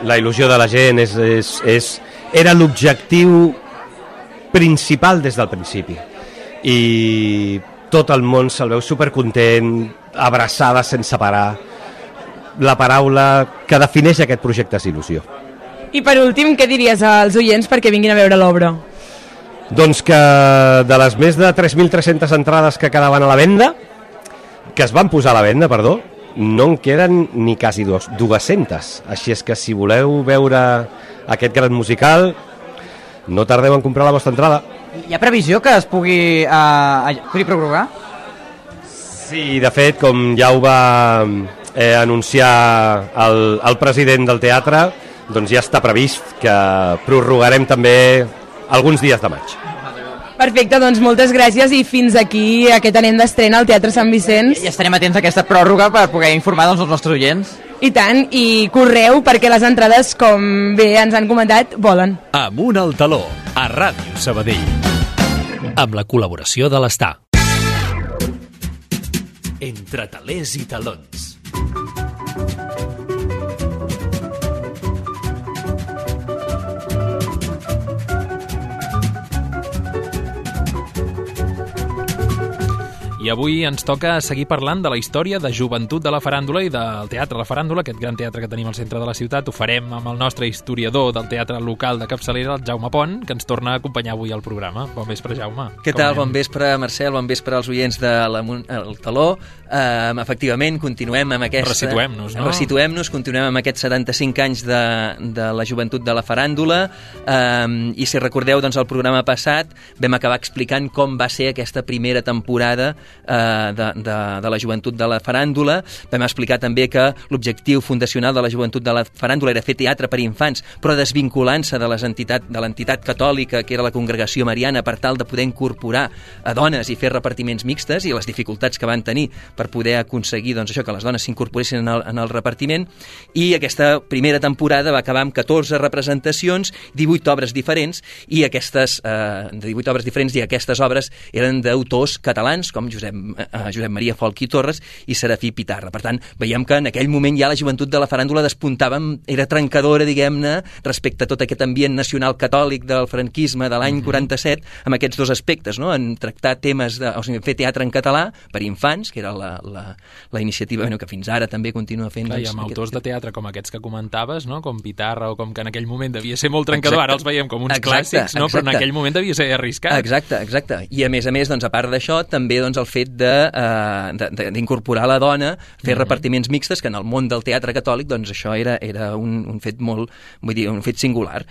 La il·lusió de la gent és, és, és, era l'objectiu principal des del principi. I tot el món se'l veu supercontent, abraçada sense parar. La paraula que defineix aquest projecte és il·lusió. I per últim, què diries als oients perquè vinguin a veure l'obra? Doncs que de les més de tres mil tres-centes entrades que quedaven a la venda, que es van posar a la venda, perdó, no en queden ni quasi dues-centes. Així és que si voleu veure aquest gran musical, no tardeu en comprar la vostra entrada. Hi ha previsió que es pugui, uh, pugui prorrogar? Sí, de fet, com ja ho va, eh, anunciar el, el president del teatre, doncs ja està previst que prorrogarem també alguns dies de maig. Perfecte, doncs moltes gràcies i fins aquí aquest anem d'estrena al Teatre Sant Vicenç. I estarem atents a aquesta pròrroga per poder informar doncs, els nostres oients. I tant, i correu perquè les entrades, com bé ens han comentat, volen. Amunt al taló, a Ràdio Sabadell. Amb la col·laboració de l'Estar. Entre talers i talons. I avui ens toca seguir parlant de la història de joventut de la faràndula i del Teatre La Faràndula, aquest gran teatre que tenim al centre de la ciutat. Ho farem amb el nostre historiador del teatre local de capçalera, el Jaume Pont, que ens torna a acompanyar avui al programa. Bon vespre, Jaume. Què tal? Bon vespre, Marcel. Bon vespre als oients de el Taló. Uh, efectivament, continuem amb aquesta... Resituem-nos, no? Resituem-nos, continuem amb aquests setanta-cinc anys de, de la joventut de la faràndula. Uh, I si recordeu, doncs, el programa passat vam acabar explicant com va ser aquesta primera temporada uh, de, de, de la joventut de la faràndula. Vam explicar també que l'objectiu fundacional de la joventut de la faràndula era fer teatre per infants, però desvinculant-se de les entitat, de l'entitat catòlica, que era la Congregació Mariana, per tal de poder incorporar a dones i fer repartiments mixtes, i les dificultats que van tenir per poder aconseguir doncs, això, que les dones s'incorporessin en, el, en el repartiment. I aquesta primera temporada va acabar amb catorze representacions, divuit obres diferents, i aquestes eh, divuit obres diferents, i aquestes obres eren d'autors catalans com Josep, eh, Josep Maria Folch i Torres i Serafí Pitarra. Per tant, veiem que en aquell moment ja la joventut de la faràndula despuntava, era trencadora, diguem-ne, respecte a tot aquest ambient nacional catòlic del franquisme de l'any quaranta-set, amb aquests dos aspectes, no? En tractar temes, de, o sigui, fer teatre en català per infants, que era la, la, la iniciativa bueno, que fins ara també continua fent. Clar, doncs, i amb aquest... autors de teatre com aquests que comentaves, no? Com Pitarra, o com que en aquell moment devia ser molt trencador, exacte. Ara els veiem com uns exacte, clàssics, no? Exacte. Però en aquell moment devia ser arriscat. Exacte, exacte. I a més a més, doncs, a part d'això, també doncs, el fet d'incorporar uh, la dona, fer mm-hmm. repartiments mixtes, que en el món del teatre catòlic, doncs això era, era un, un fet molt, vull dir, un fet singular.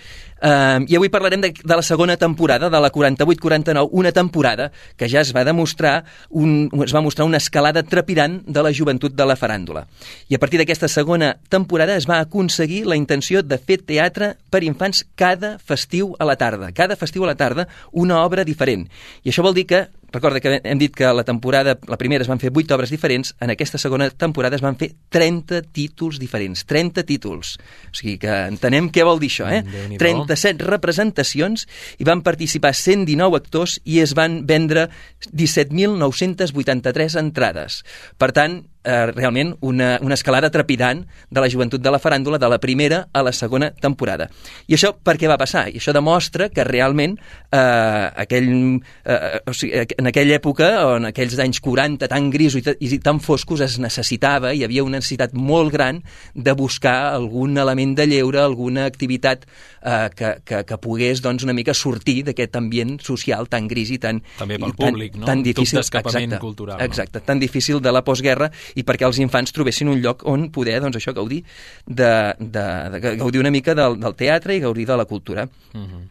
Uh, I avui parlarem de, de la segona temporada, de la quaranta-vuit quaranta-nou, una temporada que ja es va demostrar, un, es va mostrar una escalada trepidant de la joventut de la faràndula. I a partir d'aquesta segona temporada es va aconseguir la intenció de fer teatre per infants cada festiu a la tarda. Cada festiu a la tarda, una obra diferent. I això vol dir que, recorda que hem dit que la temporada, la primera es van fer vuit obres diferents, en aquesta segona temporada es van fer trenta títols diferents. trenta títols. O sigui que entenem què vol dir això, eh? trenta-set representacions, i van participar cent dinou actors i es van vendre disset mil nou-cents vuitanta-tres entrades. Per tant, Eh, realment una, una escalada trepidant de la joventut de la faràndula de la primera a la segona temporada. I això per què va passar? I això demostra que realment eh, aquell, eh, o sigui, en aquella època, o en aquells anys quaranta tan grisos i, i tan foscos, es necessitava, hi havia una necessitat molt gran de buscar algun element de lleure, alguna activitat eh, que, que, que pogués doncs, una mica sortir d'aquest ambient social tan gris i tan, també pel i tan, públic, no? tan difícil, d'escapament exacte, cultural. Exacte, tan difícil de la postguerra, i perquè els infants trobessin un lloc on poder, doncs això, gaudir de, de, de gaudir una mica del, del teatre i gaudir de la cultura. Uh-huh.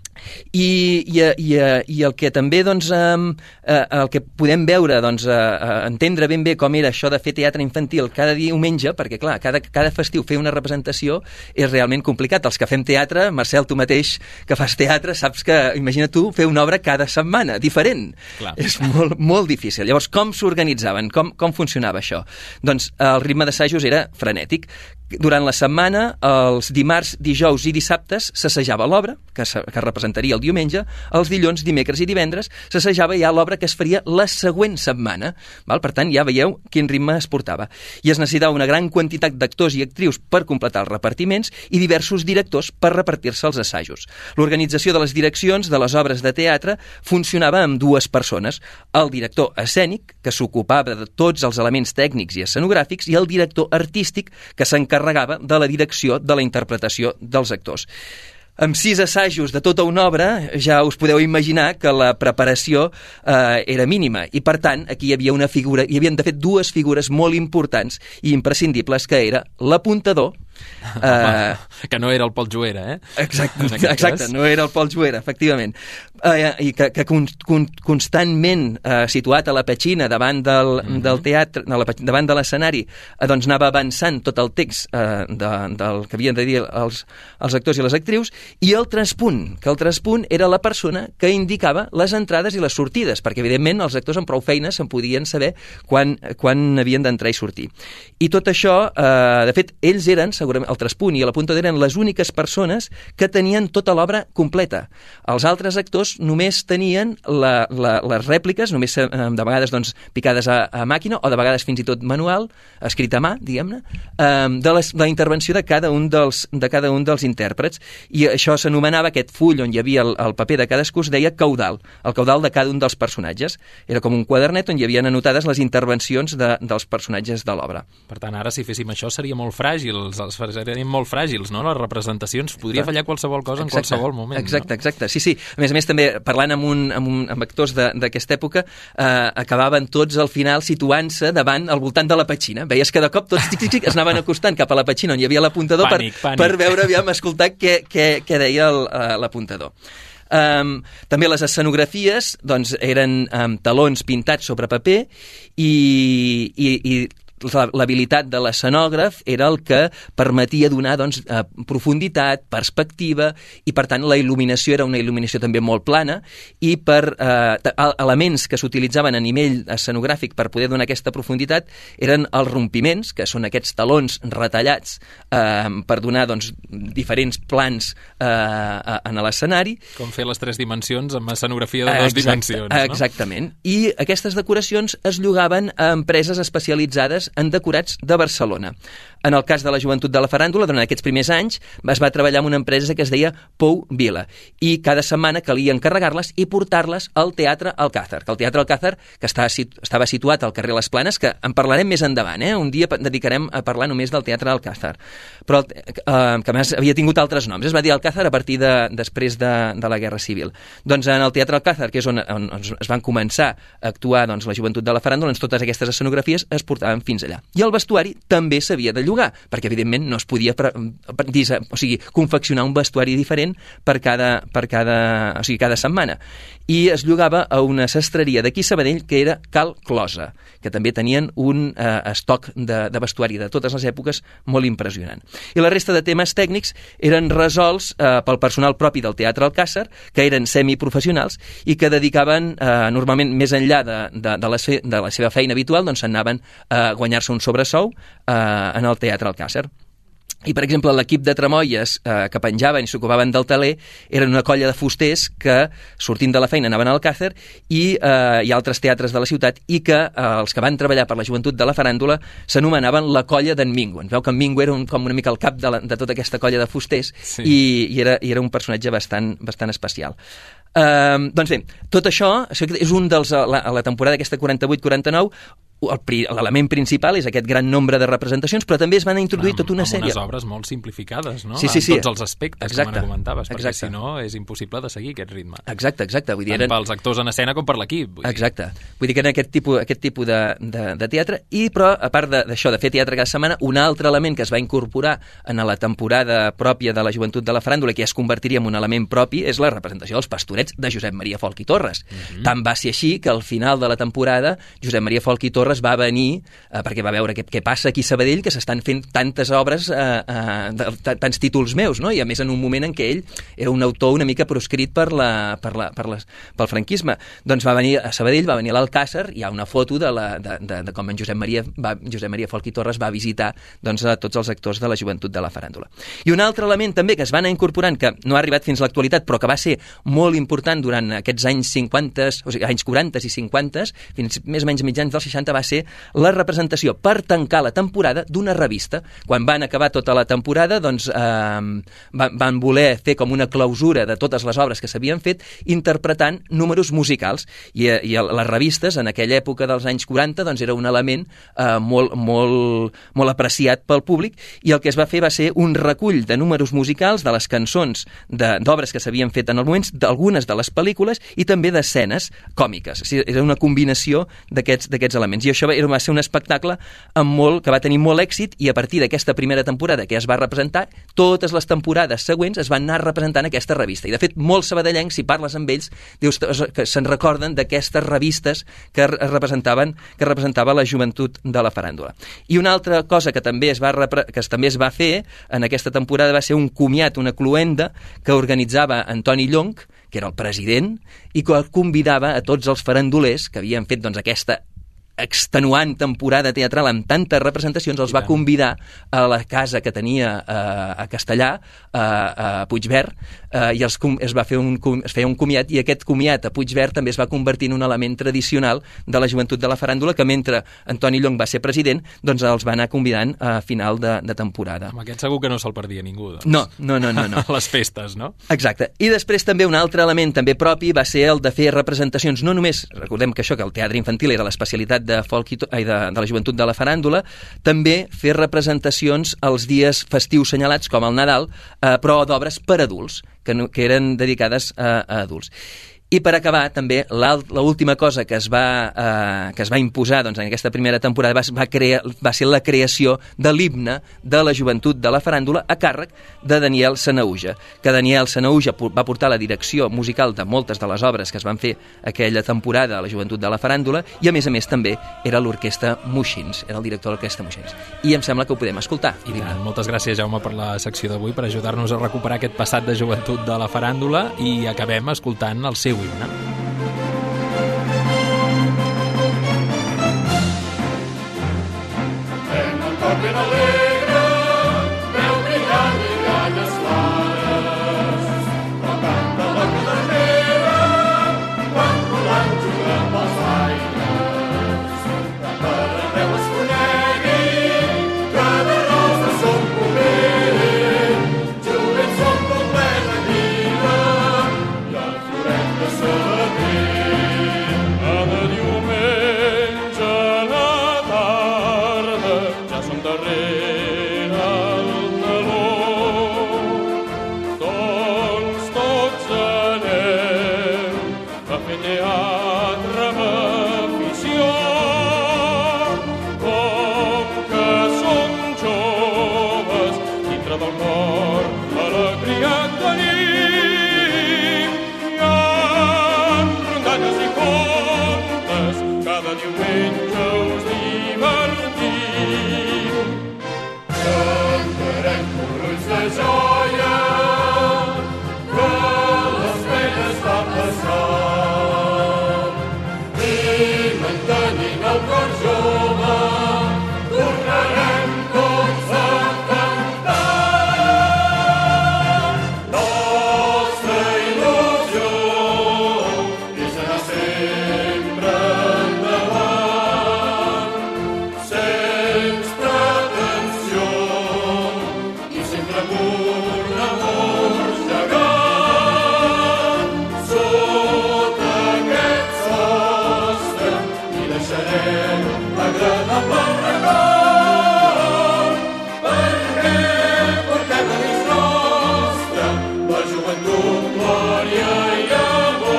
I, i, i, i el que també doncs, eh, el que podem veure, doncs, eh, entendre ben bé com era això de fer teatre infantil cada diumenge, perquè clar, cada, cada festiu fer una representació és realment complicat. Els que fem teatre, Marcel, tu mateix que fas teatre, saps que, imagina tu, fer una obra cada setmana, diferent. Clar. És molt, molt difícil. Llavors, com s'organitzaven? Com, com funcionava això? Doncs el ritme d'assajos era frenètic. Durant la setmana, els dimarts, dijous i dissabtes s'assajava l'obra, que, que representaria el diumenge, els dilluns, dimecres i divendres s'assajava ja l'obra que es faria la següent setmana. Val? Per tant, ja veieu quin ritme es portava. I es necessitava una gran quantitat d'actors i actrius per completar els repartiments i diversos directors per repartir-se els assajos. L'organització de les direccions de les obres de teatre funcionava amb dues persones, el director escènic, que s'ocupava de tots els elements tècnics i escenogràfics, i el director artístic, que s'encarregava de la direcció de la interpretació dels actors. Amb sis assajos de tota una obra ja us podeu imaginar que la preparació eh, era mínima, i per tant aquí hi havia una figura, hi havien de fet dues figures molt importants i imprescindibles, que era l'apuntador Uh, que no era el Pol Juera, eh? Exacte, exacte no era el Pol Juera, efectivament. Uh, I que, que con, con, constantment uh, situat a la petxina davant del, mm-hmm. del teatre, de la, davant de l'escenari, uh, doncs anava avançant tot el text uh, de, del que havien de dir els, els actors i les actrius, i el traspunt, que el traspunt era la persona que indicava les entrades i les sortides, perquè evidentment els actors amb prou feines se'n podien saber quan, quan havien d'entrar i sortir. I tot això, uh, de fet, ells eren, segurament, el traspunt i l'apuntador eren les úniques persones que tenien tota l'obra completa. Els altres actors només tenien la, la, les rèpliques, només de vegades doncs, picades a, a màquina o de vegades fins i tot manual, escrit a mà, diguem-ne, de, les, de la intervenció de cada un dels, de cada un dels intèrprets. I això s'anomenava, aquest full on hi havia el, el paper de cadascú, es deia caudal, el caudal de cada un dels personatges. Era com un quadernet on hi havien anotades les intervencions de, dels personatges de l'obra. Per tant, ara si féssim això seria molt fràgil, serien molt fràgils, no? Les representacions, podria fallar qualsevol cosa en exacte, qualsevol moment. Exacte, no? exacte, sí, sí. A més a més, també parlant amb, un, amb, un, amb actors d'aquesta època, eh, acabaven tots al final situant-se davant, al voltant de la petxina. Veies que de cop tots tic, tic, tic, es anaven acostant cap a la petxina on hi havia l'apuntador per, per veure, aviam, escoltar què, què, què deia l'apuntador. Um, també les escenografies doncs, eren um, talons pintats sobre paper i, i, i l'habilitat de l'escenògraf era el que permetia donar doncs, eh, profunditat, perspectiva, i per tant la il·luminació era una il·luminació també molt plana, i per eh, elements que s'utilitzaven a nivell escenogràfic per poder donar aquesta profunditat eren els rompiments, que són aquests talons retallats eh, per donar doncs, diferents plans eh, en l'escenari. Com fer les tres dimensions amb escenografia de dues dimensions. No? Exactament. I aquestes decoracions es llogaven a empreses especialitzades en decorats de Barcelona. En el cas de la Joventut de la Faràndula, durant aquests primers anys, es va treballar amb una empresa que es deia Pou Vila, i cada setmana calia encarregar-les i portar-les al Teatre Alcázar, que el Teatre Alcázar, que estava, estava situat al carrer Les Planes, que en parlarem més endavant, eh? Un dia dedicarem a parlar només del Teatre Alcázar, però eh, que a més havia tingut altres noms. Es va dir Alcázar a partir de, després de, de la Guerra Civil. Doncs en el Teatre Alcázar, que és on, on, on es van començar a actuar doncs, la Joventut de la Faràndula, doncs totes aquestes escenografies es portaven fins allà. I el vestuari també s'havia de llogar, perquè evidentment no es podia pre, pre, o sigui, confeccionar un vestuari diferent per cada, per cada, o sigui, cada setmana. I es llogava a una sastreria d'aquí Sabadell que era Cal Closa, que també tenien un eh, estoc de, de vestuari de totes les èpoques molt impressionant. I la resta de temes tècnics eren resolts eh, pel personal propi del Teatre Alcázar, que eren semiprofessionals i que dedicaven eh, normalment més enllà de, de, de, la, de la seva feina habitual, doncs s'anaven a guanyar-se un sobresou eh, en el Teatre Alcázar. I, per exemple, l'equip de tramoies eh, que penjaven i s'ocupaven del taler eren una colla de fusters que, sortint de la feina, anaven al Alcázar i eh, hi ha altres teatres de la ciutat i que eh, els que van treballar per la Joventut de la Faràndula s'anomenaven la colla d'en Mingo. Ens veu que en Mingo era un, com una mica el cap de, la, de tota aquesta colla de fusters sí. i, i, era, i era un personatge bastant, bastant especial. Uh, doncs bé, tot això, això és un dels, a la, a la temporada aquesta quaranta-vuit quaranta-nou, l'element principal és aquest gran nombre de representacions, però també es van introduir amb, tota una sèrie. Amb unes obres molt simplificades, no? Sí, sí, sí. En tots els aspectes, exacte. Com ara comentaves, perquè exacte. si no és impossible de seguir aquest ritme. Exacte, exacte. Vull dir, tant eren... pels actors en escena com per l'equip. Exacte. Vull dir que eren aquest tipus, aquest tipus de, de, de teatre, i però a part d'això, de, de fer teatre cada setmana, un altre element que es va incorporar en la temporada pròpia de la Joventut de la Faràndula, que ja es convertiria en un element propi, és la representació dels Pastorets de Josep Maria Folch i Torres. Mm-hmm. Tant va ser així que al final de la temporada Josep Maria Folch i Torres va venir eh, perquè va veure què, què passa aquí a Sabadell, que s'estan fent tantes obres, eh, eh, de, de, tants títols meus, no? I a més en un moment en què ell era un autor una mica proscrit per la, per la, per les, pel franquisme. Doncs va venir a Sabadell, va venir a l'Alcázar, hi ha una foto de, la, de, de, de com en Josep Maria, va, Josep Maria Folch i Torres va visitar doncs, a tots els actors de la Joventut de la Faràndula. I un altre element també que es va anar incorporant, que no ha arribat fins a l'actualitat, però que va ser molt important durant aquests anys cinquanta, o sigui, anys quaranta i cinquanta, fins més o menys mitjans dels seixanta, va ser la representació per tancar la temporada d'una revista. Quan van acabar tota la temporada, doncs eh, van, van voler fer com una clausura de totes les obres que s'havien fet, interpretant números musicals. I, i les revistes, en aquella època dels anys quaranta, doncs era un element eh, molt, molt, molt apreciat pel públic, i el que es va fer va ser un recull de números musicals de les cançons d'obres que s'havien fet en el moment, d'algunes de les pel·lícules i també d'escenes còmiques. O sigui, era una combinació d'aquests d'aquests elements. I i això va ser un espectacle amb molt, que va tenir molt èxit, i a partir d'aquesta primera temporada que ja es va representar, totes les temporades següents es van anar representant aquesta revista. I de fet, molts sabadellencs, si parles amb ells, dius que se'n recorden d'aquestes revistes que representaven que representava la joventut de la faràndula. I una altra cosa que també es va, que també es va fer en aquesta temporada va ser un comiat, una cluenda que organitzava Antoni Llong, que era el president, i que convidava a tots els farandulers que havien fet doncs, aquesta extenuant temporada teatral amb tantes representacions, els va convidar a la casa que tenia a, a Castellà, a, a Puigverd, eh, i els, es, va fer un, es feia un comiat, i aquest comiat a Puigverd també es va convertir en un element tradicional de la joventut de la faràndula, que mentre Antoni Llong va ser president, doncs els va anar convidant a final de, de temporada. Amb aquest segur que no se'l perdia ningú, doncs. No, no, no, no, no. Les festes, no? Exacte. I després també un altre element també propi va ser el de fer representacions, no només, recordem que això, que el teatre infantil era l'especialitat de folk i to, ai, de, de la joventut de la faràndula, també fer representacions els dies festius senyalats, com el Nadal, eh, però d'obres per adults, que, no, que eren dedicades a, a adults. I per acabar, també, l'última cosa que es va, eh, que es va imposar doncs, en aquesta primera temporada va, va, crear, va ser la creació de l'himne de la joventut de la faràndula a càrrec de Daniel Sanahuja, que Daniel Sanahuja va portar la direcció musical de moltes de les obres que es van fer aquella temporada a la joventut de la faràndula, i a més a més també era l'orquestra Moixins, era el director de l'orquestra Moixins. I em sembla que ho podem escoltar. I tant. Moltes gràcies, Jaume, per la secció d'avui, per ajudar-nos a recuperar aquest passat de joventut de la faràndula, i acabem escoltant el seu himne. En el cor ben alegre, veu brillar miralles clares, però canta la cadernera, quan volant juga pels aires. Que per arreu es conegui, que de rosa som poder, jovent som com plena vida, i el floret de Sabadell. Cada diumenge a la tarda ja som darrere el teló, doncs tots anem a fer teatre amb afició. Com que som joves, dintre del cor alegria tenim, i amb rondalles i contes cada diumenge us divertim. Cantarem corrons de joia, que les penes va passar, i mantenint el cor jove tornarem tots a cantar. Nostra il·lusió és anar sempre endavant, sense pretensió i sempre amb un amor gegant. Sota aquest sostre hi deixarem l'agradable record, perquè portem a dins nostre la joventut, glòria i amor.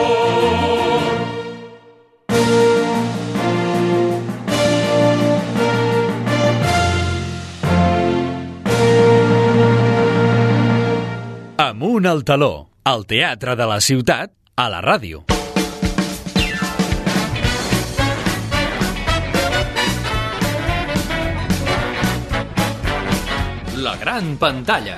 Amunt al taló, al teatre de la ciutat, a la ràdio. La gran pantalla.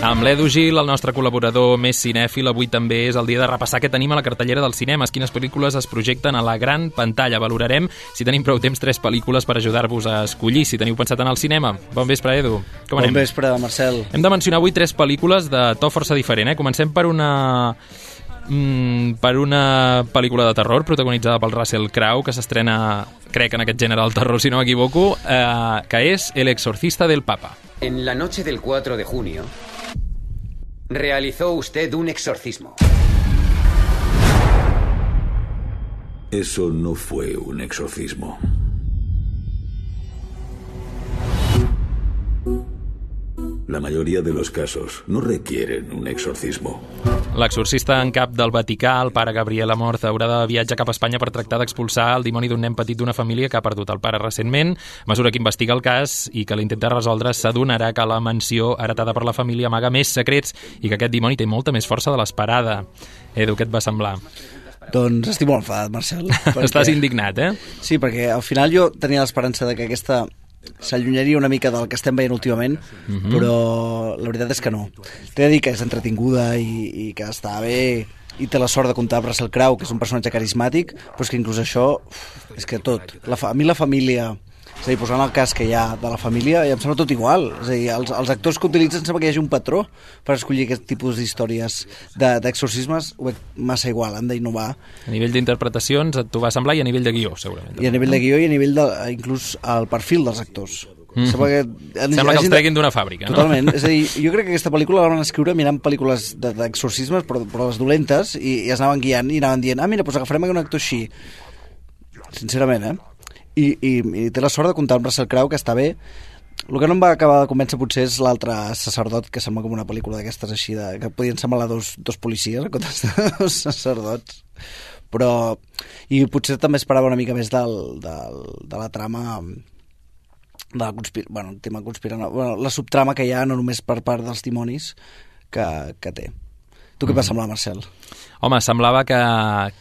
Amb l'Edu Gil, el nostre col·laborador més cinèfil, avui també és el dia de repassar què tenim a la cartellera dels cinemes, quines pel·lícules es projecten a la gran pantalla. Valorarem, si tenim prou temps, tres pel·lícules per ajudar-vos a escollir, si teniu pensat anar al cinema. Bon vespre, Edu. Com anem? Bon vespre, Marcel. Hem de mencionar avui tres pel·lícules de to força diferent, eh? Comencem per una... Mm, per una pel·lícula de terror protagonitzada pel Russell Crowe, que s'estrena, crec, en aquest gènere del terror, si no m'equivoco, eh, que és El exorcista del Papa. En la noche del cuatro de junio realizó usted un exorcismo. Eso no fue un exorcismo. La mayoría de los casos no requieren un exorcismo. L'exorcista en cap del Vaticà, el pare Gabriel Amorth, haurà de viatjar cap a Espanya per tractar d'expulsar el dimoni d'un nen petit d'una família que ha perdut el pare recentment. A mesura que investiga el cas i que l'intenta resoldre, s'adonarà que la mansió heretada per la família amaga més secrets i que aquest dimoni té molta més força de l'esperada. Edu, què et va semblar? Doncs estic molt enfadat, Marcel. Perquè... Estàs indignat, eh? Sí, perquè al final jo tenia l'esperança de que aquesta s'allunyaria una mica del que estem veient últimament, Mhm. però la veritat és que no. T'he de dir que és entretinguda i, i que està bé, i té la sort de comptar amb Russell Crowe, que és un personatge carismàtic, però és que inclús això, uf, és que tot. La fa... A mi la família... És a dir, posant el cas que hi ha de la família, em sembla tot igual. És a dir, els, els actors que utilitzen sembla que hi hagi un patró per escollir aquest tipus d'històries de- d'exorcismes, ho veig massa igual, han d'innovar. A nivell d'interpretacions et t'ho va semblar i a nivell de guió, segurament. I a nivell de guió i a nivell de, inclús el perfil dels actors. Mhm. Sembla que, Sembla que els treguin d'una fàbrica, no? Totalment. És a dir, jo crec que aquesta pel·lícula la van escriure mirant pel·lícules de- d'exorcismes, però, però les dolentes, i, i es anaven guiant i anaven dient, ah, mira, doncs agafarem un actor així. Sincerament, eh? I, i, i té la sort de comptar amb Russell Crowe, que està bé. El que no em va acabar de convèncer potser és l'altre sacerdot, que sembla com una pel·lícula d'aquestes així, de, que podien semblar dos, dos policies en comptes de dos sacerdots. Però... I potser també esperava una mica més del, del, de la trama... de la conspir... bueno, el tema conspirant... Bueno, la subtrama que hi ha, no només per part dels dimonis, que, que té. Tu què et va semblar, Marcel? Home, semblava que,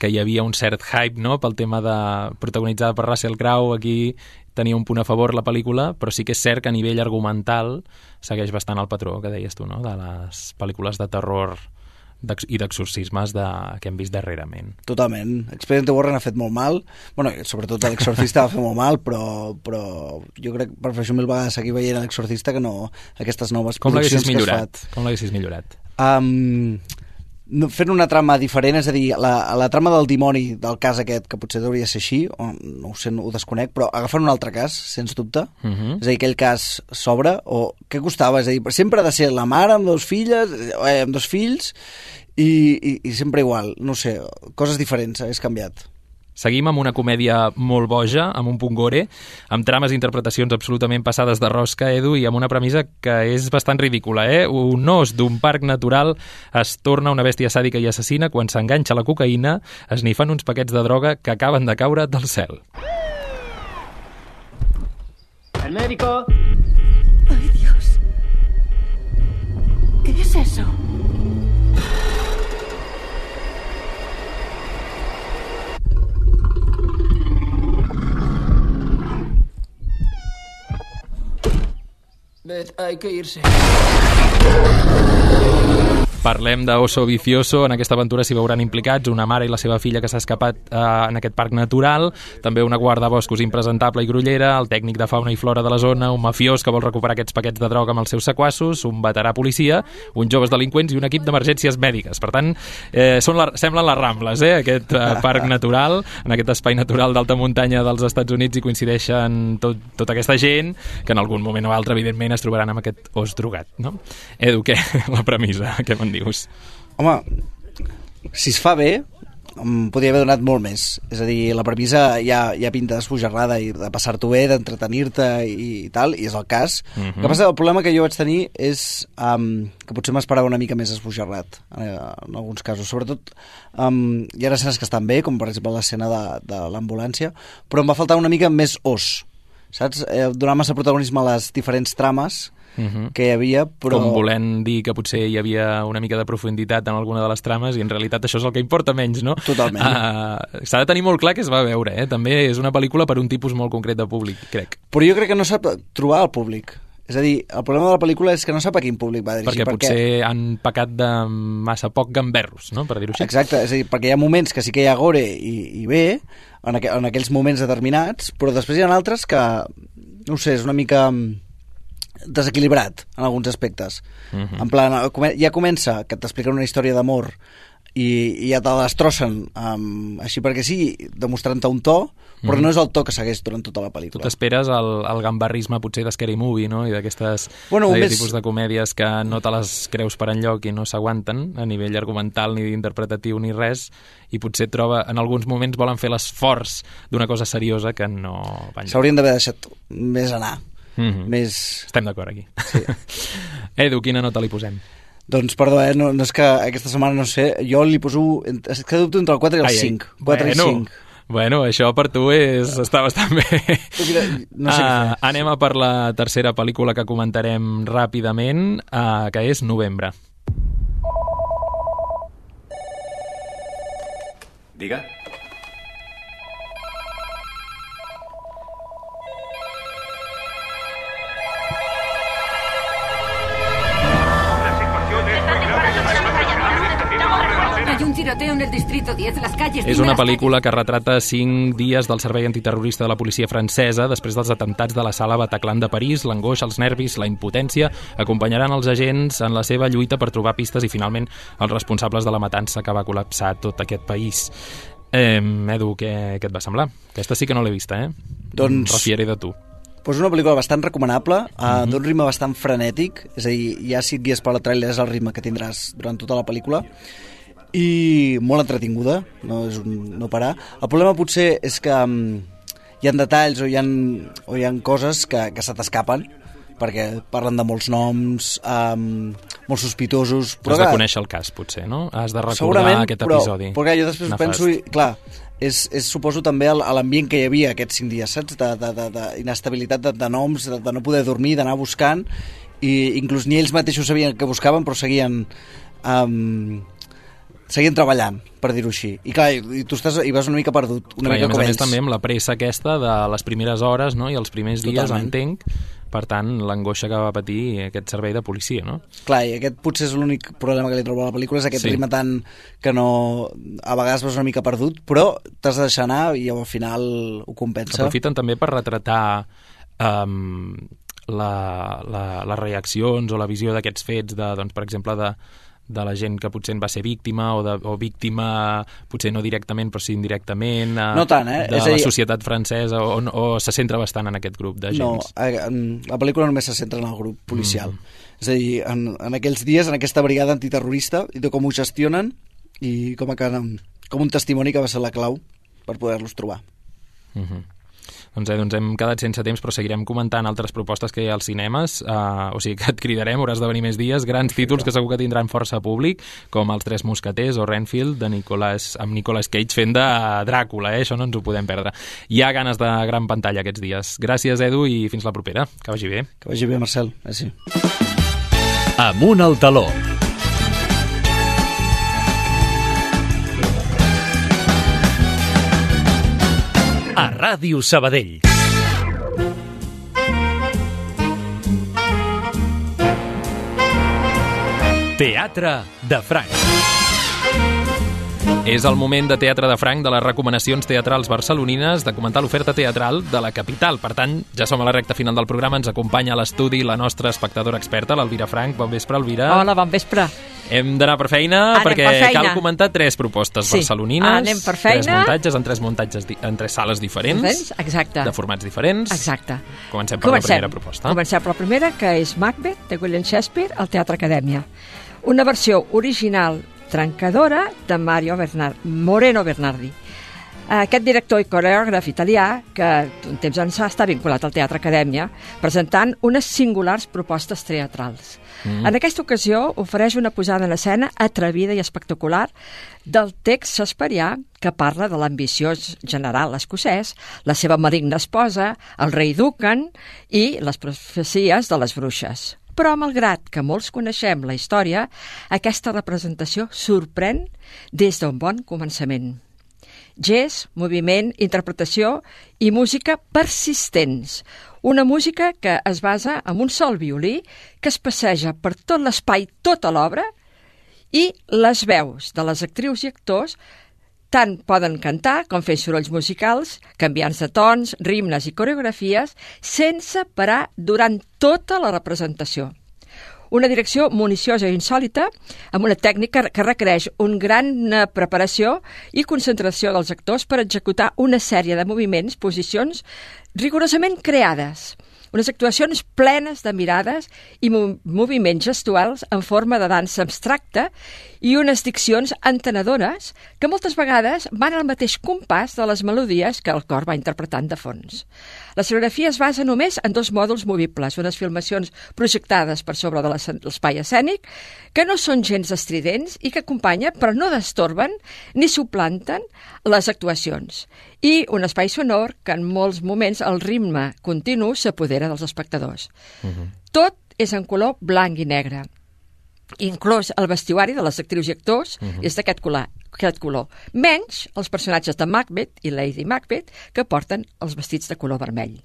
que hi havia un cert hype, no?, pel tema de protagonitzada per Russell Crowe. Aquí tenia un punt a favor la pel·lícula, però sí que és cert que a nivell argumental segueix bastant el patró que deies tu, no?, de les pel·lícules de terror d'ex i d'exorcismes de, que hem vist darrerament. Totalment. Expediente Warren ha fet molt mal, bueno, sobretot l'Exorcista va fer molt mal, però, però jo crec que prefereixo mil vegades seguir veient l'Exorcista que no aquestes noves Com produccions l'haguessis que es millorat? fan. Com l'haguessis millorat? Um, no, fent una trama diferent, és a dir, la, la trama del dimoni del cas aquest, que potser hauria de ser així, o no ho sé, ho desconec, però agafant un altre cas, sens dubte, Uh -huh. és a dir, aquell cas s'obre, o què costava? És a dir, sempre ha de ser la mare amb dos filles, eh, amb dos fills, i, i, i sempre igual, no sé, coses diferents, hagués canviat. Seguim amb una comèdia molt boja, amb un punt gore, amb trames i interpretacions absolutament passades de rosca, Edu, i amb una premissa que és bastant ridícula, eh? Un os d'un parc natural es torna una bèstia sàdica i assassina quan s'enganxa la cocaïna, esnifant uns paquets de droga que acaben de caure del cel. ¡El médico! ¡Ay, Dios! ¿Qué es eso? Beth, hay que irse. Parlem d'Oso Vicioso. En aquesta aventura s'hi veuran implicats una mare i la seva filla que s'ha escapat eh, en aquest parc natural, també una guardaboscos impresentable i grollera, el tècnic de fauna i flora de la zona, un mafiós que vol recuperar aquests paquets de droga amb els seus sequassos, un veterà policia, uns joves delinqüents i un equip d'emergències mèdiques. Per tant, eh, són la, semblen les Rambles, eh, aquest eh, parc natural, en aquest espai natural d'alta muntanya dels Estats Units, i coincideixen tot, tota aquesta gent que en algun moment o altre, evidentment, es trobaran amb aquest os drogat, no? Edu, què? La premissa, què me'n dius? Home, si es fa bé, em podria haver donat molt més. És a dir, la premissa ja, ja pinta d'esbojarrada i de passar-t'ho bé, d'entretenir-te i, i tal, i és el cas. Mhm. El que passa, el problema que jo vaig tenir és um, que potser m'esperava una mica més esbojarrat en, en alguns casos. Sobretot, um, hi ha escenes que estan bé, com per exemple l'escena de, de l'ambulància, però em va faltar una mica més os, saps? Eh, donar massa protagonisme a les diferents trames Uh-huh. que hi havia, però... Com volent dir que potser hi havia una mica de profunditat en alguna de les trames i en realitat això és el que importa menys, no? Totalment. Uh, s'ha de tenir molt clar que es va veure, eh? També és una pel·lícula per un tipus molt concret de públic, crec. Però jo crec que no sap trobar el públic. És a dir, el problema de la pel·lícula és que no sap a quin públic va dirigir. Perquè potser perquè... han pecat de massa poc gamberros, no?, per dir-ho així. Exacte, és a dir, perquè hi ha moments que sí que hi ha gore i, i bé, en, aqu en aquells moments determinats, però després hi ha altres que, no ho sé, és una mica desequilibrat en alguns aspectes. Uh-huh. En plan, ja comença que t'expliquen una història d'amor i, i ja te la destrossen um, així perquè sí, demostrant-te un to, però Mhm. no és el to que segueix durant tota la Tu pel·lícula. t'esperes el, el gambarrisme potser de Scary Movie, no?, i d'aquestes Bueno, d'aquest més- tipus de comèdies que no te les creus per enlloc i no s'aguanten a nivell argumental ni interpretatiu ni res, i potser troba, en alguns moments volen fer l'esforç d'una cosa seriosa que no va enlloc. S'haurien d'haver deixat més anar. Mhm. Més... Estem d'acord aquí. Sí. Edu, quina nota li posem? Doncs perdó, eh? no, no és que aquesta setmana no sé, jo li poso, és que dubto entre el quatre i el ai, cinc. quatre bueno, i cinc. Bueno, això per tu és, està bastant bé. No sé què uh, anem a per la tercera pel·lícula que comentarem ràpidament, uh, que és Novembre. Diga. Hay un tiroteo en el distrito diez, las calles... És una pel·lícula que retrata cinc dies del servei antiterrorista de la policia francesa després dels atemptats de la sala Bataclan de París. L'angoixa, els nervis, la impotència acompanyaran els agents en la seva lluita per trobar pistes i finalment els responsables de la matança que va col·lapsar tot aquest país. Eh, Edu, què, què et va semblar? Aquesta sí que no l'he vista, eh? Doncs... Refiere de tu. Pues una pel·lícula bastant recomanable, uh, mm-hmm. d'un ritme bastant frenètic, és a dir, ja si et guies per la tràiler és el ritme que tindràs durant tota la pel·lícula, i molt entretinguda, no és un no parar. El problema potser és que um, hi ha detalls o hi ha, o hi ha coses que, que se t'escapen, perquè parlen de molts noms, um, molt sospitosos... Però has de conèixer el cas, potser, no? Has de recordar aquest però, episodi. Però jo després nefast. penso, i, clar, és, és suposo també l'ambient que hi havia aquests cinc dies, saps? D'inestabilitat de, de, de noms, de, de no poder dormir, d'anar buscant, i inclús ni ells mateixos sabien que buscaven, però seguien... Um, seguien treballant, per dir-ho així. I clar, i tu estàs, hi vas una mica perdut, una clar, mica com ells. A més a més també amb la pressa aquesta de les primeres hores, no?, i els primers dies, Totalment. entenc, per tant, l'angoixa que va patir aquest servei de policia, no? Clar, i aquest potser és l'únic problema que li trobo a la pel·lícula, és aquest sí. ritme tant que no... A vegades vas una mica perdut, però t'has de deixar anar i al final ho compensa. Aprofiten també per retratar um, la, la, les reaccions o la visió d'aquests fets, de, doncs, per exemple, de de la gent que potser en va ser víctima o, de, o víctima, potser no directament però sí indirectament, eh, no tant, eh? de és la dir... societat francesa o, o se centra bastant en aquest grup d'agents? No, la pel·lícula només se centra en el grup policial. Mm. És a dir, en, en aquells dies, en aquesta brigada antiterrorista, i de com ho gestionen i com, a, com un testimoni que va ser la clau per poder-los trobar. Mm-hmm. Doncs, eh, doncs hem quedat sense temps, però seguirem comentant altres propostes que hi ha als cinemes, uh, o sigui que et cridarem, hauràs de venir més dies, grans títols que segur que tindran força públic, com Els Tres Mosqueters o Renfield, de Nicolas, amb Nicolas Cage fent de Dràcula, eh? Això no ens ho podem perdre. Hi ha ganes de gran pantalla aquests dies. Gràcies, Edu, i fins la propera. Que vagi bé. Que vagi bé, Marcel. Gràcies. Amunt al taló. A Ràdio Sabadell. Teatre de Franc. És el moment de Teatre de Franc, de les recomanacions teatrals barcelonines, de comentar l'oferta teatral de la capital. Per tant, ja som a la recta final del programa, ens acompanya a l'estudi la nostra espectadora experta, l'Elvira Franc. Bon vespre, Elvira. Hola, bon vespre. Hem d'anar per feina, anem perquè per feina. cal comentar tres propostes sí. barcelonines. Anem per feina. Tres muntatges en tres muntatges di en tres sales diferents. Exacte. De formats diferents. Exacte. Comencem per Comencem. la primera proposta. Comencem per la primera, que és Macbeth, de William Shakespeare, al Teatre Acadèmia. Una versió original trencadora de Mario Bernard, Moreno Bernardi. Aquest director i coreògraf italià, que un temps ençà està vinculat al Teatre Acadèmia, presentant unes singulars propostes teatrals. Mm. En aquesta ocasió ofereix una posada en escena atrevida i espectacular del text shakespearià que parla de l'ambiciós general escocès, la seva maligna esposa, el rei Duncan i les profecies de les bruixes. Però, malgrat que molts coneixem la història, aquesta representació sorprèn des d'un bon començament. Gest, moviment, interpretació i música persistents. Una música que es basa en un sol violí que es passeja per tot l'espai, tota l'obra, i les veus de les actrius i actors tant poden cantar com fer sorolls musicals, canviants de tons, ritmes i coreografies, sense parar durant tota la representació. Una direcció municiosa i insòlita, amb una tècnica que requereix una gran preparació i concentració dels actors per executar una sèrie de moviments, posicions rigorosament creades. Unes actuacions plenes de mirades i mo moviments gestuals en forma de dansa abstracta i unes diccions entenedores que moltes vegades van al mateix compàs de les melodies que el cor va interpretant de fons. La escenografia es basa només en dos mòduls movibles, unes filmacions projectades per sobre de l'espai escènic que no són gens estridents i que acompanyen però no destorben ni suplanten les actuacions, i un espai sonor que en molts moments el ritme continu s'apodera dels espectadors. Uh-huh. Tot és en color blanc i negre. Inclús el vestuari de les actrius i actors uh-huh. és d'aquest color, aquest color, menys els personatges de Macbeth i Lady Macbeth que porten els vestits de color vermell.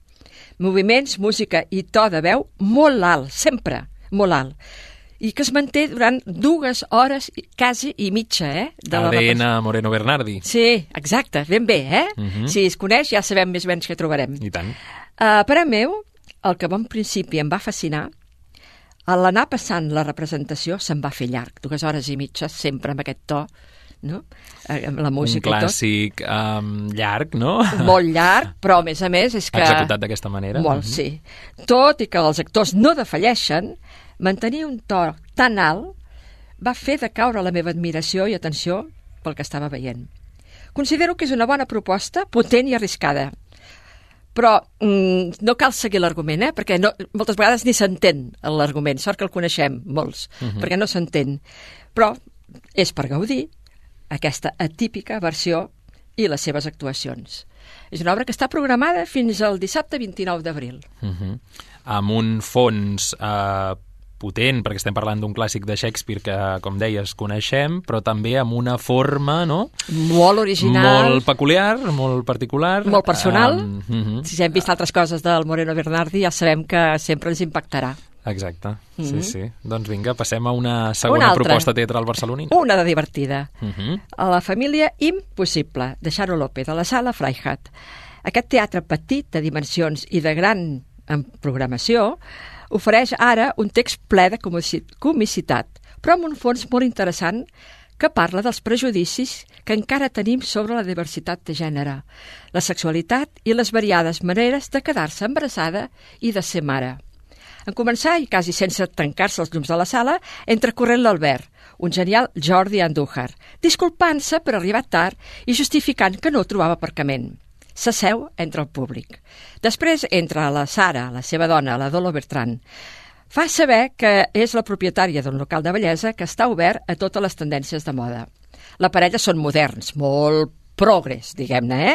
Moviments, música i to de veu molt alt, sempre molt alt, i que es manté durant dues hores quasi i mitja, eh? A D N Moreno Bernardi. Sí, exacte, ben bé, eh? Uh-huh. Si es coneix ja sabem més o menys què trobarem. I tant. Uh, per a meu, el que en principi em va fascinar, a l'anar passant la representació se'n va fer llarg, dues hores i mitja, sempre amb aquest to, no? Amb la música un clàssic um, llarg, no? Molt llarg, però a més a més és que... Executat d'aquesta manera. Molt, uh-huh. sí. Tot i que els actors no defalleixen, mantenir un to tan alt va fer de caure la meva admiració i atenció pel que estava veient. Considero que és una bona proposta, potent i arriscada. Però mm, no cal seguir l'argument, eh? Perquè no, moltes vegades ni s'entén l'argument. Sort que el coneixem, molts, uh-huh. perquè no s'entén. Però és per gaudir aquesta atípica versió i les seves actuacions. És una obra que està programada fins al dissabte vint-i-nou d'abril. Uh-huh. Amb un fons eh, potent, perquè estem parlant d'un clàssic de Shakespeare que, com deies, coneixem, però també amb una forma, no? Molt original. Molt peculiar, molt particular. Molt personal. Um, uh-huh. Si hem vist altres coses del Moreno Bernardi, ja sabem que sempre ens impactarà. Exacte, Mm-hmm. sí, sí. Doncs vinga, passem a una segona una proposta teatral barcelonina. Una de divertida. Uh-huh. A la família Impossible, de Xaro López, de la Sala Freihat. Aquest teatre petit, de dimensions i de gran en programació, ofereix ara un text ple de comicitat, però amb un fons molt interessant que parla dels prejudicis que encara tenim sobre la diversitat de gènere, la sexualitat i les variades maneres de quedar-se embarassada i de ser mare. En començar, i quasi sense trencar-se els llums de la sala, entra corrent l'Albert, un genial Jordi Andújar, disculpant-se per arribar tard i justificant que no trobava aparcament. S'asseu entre el públic. Després entra la Sara, la seva dona, la Dolo Bertran. Fa saber que és la propietària d'un local de bellesa que està obert a totes les tendències de moda. La parella són moderns, molt progres, diguem-ne, eh?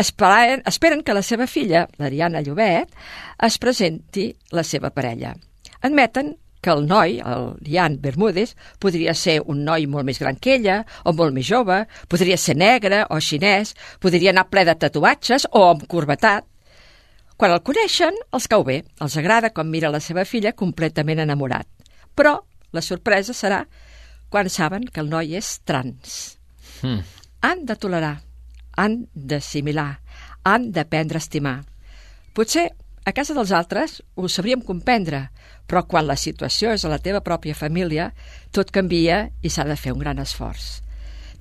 Esperen, esperen que la seva filla, l'Ariana Llobet, es presenti la seva parella. Admeten que el noi, el Ian Bermúdez, podria ser un noi molt més gran que ella, o molt més jove, podria ser negre o xinès, podria anar ple de tatuatges o amb corbatat. Quan el coneixen, els cau bé, els agrada com mira la seva filla completament enamorat. Però la sorpresa serà quan saben que el noi és trans. Hmm. Han de tolerar, han d'assimilar, han d'aprendre a estimar. Potser a casa dels altres ho sabríem comprendre, però quan la situació és a la teva pròpia família, tot canvia i s'ha de fer un gran esforç.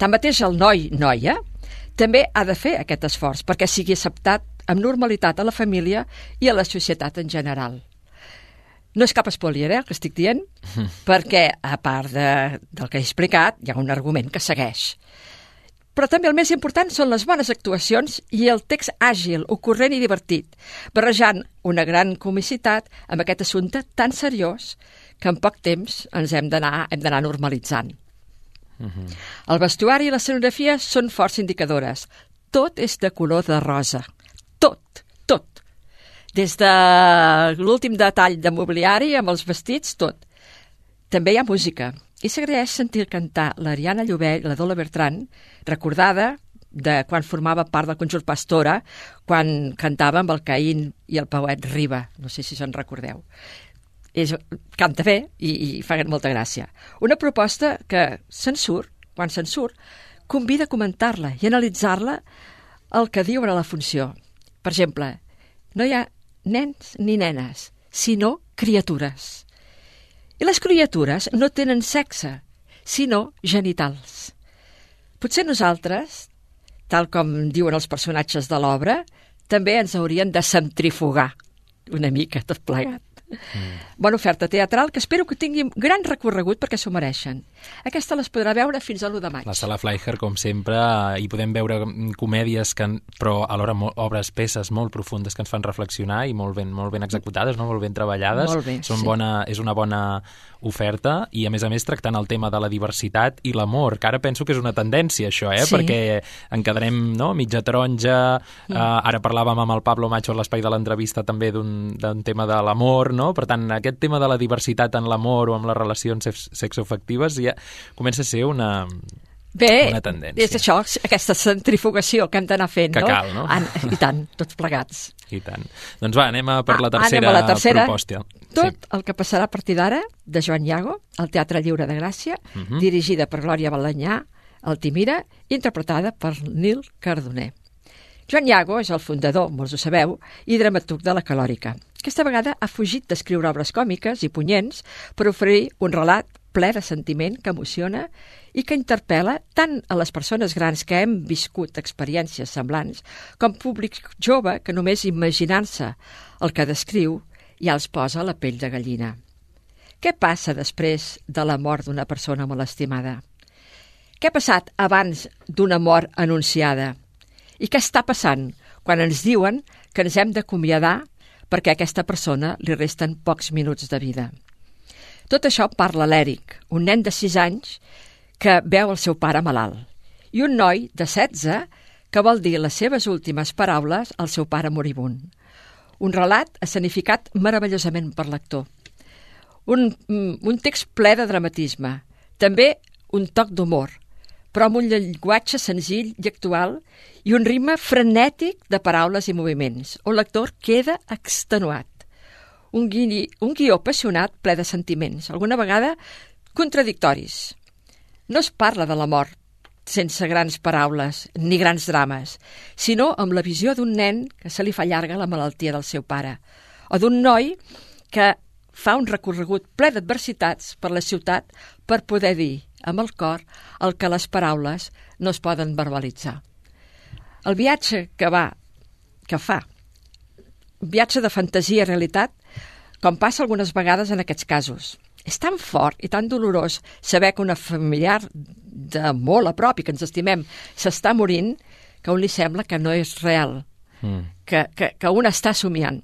Tanmateix el noi, noia, també ha de fer aquest esforç perquè sigui acceptat amb normalitat a la família i a la societat en general. No és cap spoiler, eh, el que estic dient, perquè, a part de, del que he explicat, hi ha un argument que segueix. Però també el més important són les bones actuacions i el text àgil, ocorrent i divertit, barrejant una gran comicitat amb aquest assumpte tan seriós que en poc temps ens hem d'anar hem d'anar normalitzant. Uh-huh. El vestuari i l'escenografia són força indicadores. Tot és de color de rosa. Tot, tot. Des de l'últim detall de mobiliari amb els vestits, tot. També hi ha música. I s'agraeix sentir cantar l'Ariana Llobet i la Dolo Bertran, recordada de quan formava part del conjunt Pastora, quan cantava amb el Caín i el Pauet Riba. No sé si se'n recordeu. És, canta bé i, i fa molta gràcia. Una proposta que se'n surt, quan se'n surt, convida a comentar-la i analitzar-la el que diu a la funció. Per exemple, no hi ha nens ni nenes, sinó criatures. I les criatures no tenen sexe, sinó genitals. Potser nosaltres, tal com diuen els personatges de l'obra, també ens haurien de centrifugar. una mica, tot plegat. Mm. Bona oferta teatral que espero que tingui gran recorregut perquè s'ho mereixen. Aquesta les podrà veure fins a l'u de maig. La Sala Fleischer, com sempre, hi podem veure comèdies, que, però alhora obres, peces molt profundes que ens fan reflexionar i molt ben, molt ben executades, no? Molt ben treballades. Molt bé, Són sí. bona, és una bona oferta i, a més a més, tractant el tema de la diversitat i l'amor, que ara penso que és una tendència, això, eh? Sí. Perquè en quedarem, no?, mitja taronja, mm. eh, ara parlàvem amb el Pablo Macho a l'espai de l'entrevista també d'un tema de l'amor, no? Per tant, aquest tema de la diversitat en l'amor o amb les relacions sexoafectives ja comença a ser una, Bé, una tendència. és això, aquesta centrifugació que hem d'anar fent, que no? cal, no? An I tant, tots plegats. I tant. Doncs va, anem a per la Ah, tercera, anem a la tercera. proposta. Tot Sí. el que passarà a partir d'ara, de Joan Iago, al Teatre Lliure de Gràcia, Uh -huh. dirigida per Glòria Balanyà, Altimira, interpretada per Nil Cardoner. Joan Iago és el fundador, molts ho sabeu, i dramaturg de la Calòrica. Aquesta vegada ha fugit d'escriure obres còmiques i punyents per oferir un relat ple de sentiment que emociona i que interpel·la tant a les persones grans que hem viscut experiències semblants com públic jove que només imaginar-se el que descriu ja els posa la pell de gallina. Què passa després de la mort d'una persona molt estimada? Què ha passat abans d'una mort anunciada? I què està passant quan ens diuen que ens hem d'acomiadar perquè a aquesta persona li resten pocs minuts de vida? Tot això parla l'Èric, un nen de sis anys que veu el seu pare malalt, i un noi de setze que vol dir les seves últimes paraules al seu pare moribund. Un relat escenificat meravellosament per l'actor. Un, un text ple de dramatisme, també un toc d'humor, però amb un llenguatge senzill i actual i un ritme frenètic de paraules i moviments, on l'actor queda extenuat. Un, guió, un guió apassionat ple de sentiments, alguna vegada contradictoris. No es parla de la mort sense grans paraules ni grans drames, sinó amb la visió d'un nen que se li fa llarga la malaltia del seu pare, o d'un noi que fa un recorregut ple d'adversitats per la ciutat per poder dir amb el cor el que les paraules no es poden verbalitzar. El viatge que va, que fa, viatge de fantasia i realitat, com passa algunes vegades en aquests casos. És tan fort i tan dolorós saber que una familiar de molt a prop i que ens estimem s'està morint que a un li sembla que no és real, mm. que, que, que un està somiant.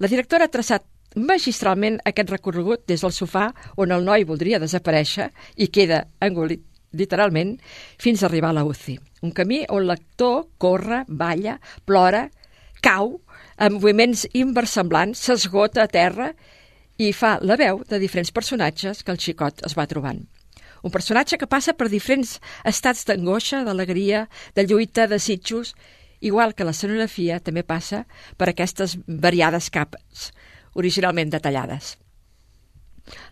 La directora ha traçat magistralment aquest recorregut des del sofà on el noi voldria desaparèixer i queda engolit literalment fins a arribar a la U C I. Un camí on l'actor corre, balla, plora, cau, amb moviments inversemblants, s'esgota a terra i fa la veu de diferents personatges que el xicot es va trobant. Un personatge que passa per diferents estats d'angoixa, d'alegria, de lluita, de desitjos, igual que l'escenografia també passa per aquestes variades capes, originalment detallades.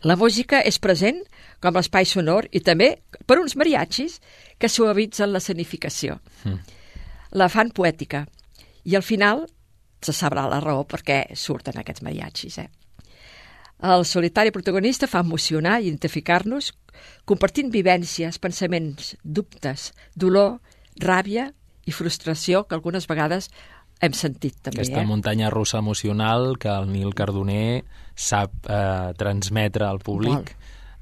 La música és present com l'espai sonor i també per uns mariachis que suavitzen l'escenificació. Mm. La fan poètica. I al final se sabrà la raó perquè surten aquests mariachis. Eh? El solitari protagonista fa emocionar i identificar-nos compartint vivències, pensaments, dubtes, dolor, ràbia i frustració que algunes vegades hem sentit també. Aquesta eh? muntanya russa emocional que el Nil Cardoner sap eh, transmetre al públic,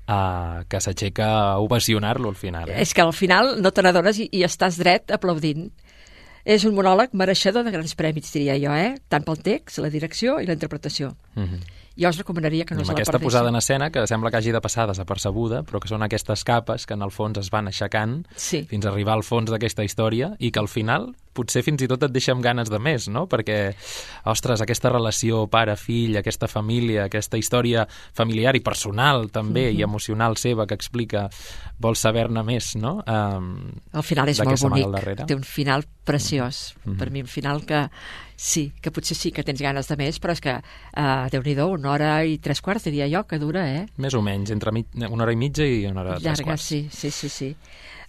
eh, que s'aixeca a ovacionar-lo al final. Eh? És que al final no te n'adones i, i estàs dret aplaudint. És un monòleg mereixedor de grans prèmits, diria jo, eh? Tant pel text, la direcció i la interpretació. Mm-hmm. Jo us recomanaria que no amb se la aquesta perdéssiu. posada en escena que sembla que hagi de passar desapercebuda, però que són aquestes capes que en el fons es van aixecant sí. fins a arribar al fons d'aquesta història i que al final potser fins i tot et deixa amb ganes de més, no? Perquè, ostres, aquesta relació pare-fill, aquesta família, aquesta història familiar i personal també, mm-hmm. i emocional seva que explica, vols saber-ne més, no? Um, el final és molt bonic, té un final preciós, mm-hmm. per mi un final que sí, que potser sí que tens ganes de més, però és que, uh, Déu-n'hi-do, una hora i tres quarts, diria jo, que dura, eh? Més o menys, entre mi una hora i mitja i una hora i tres llarga, quarts. sí, sí, sí, sí.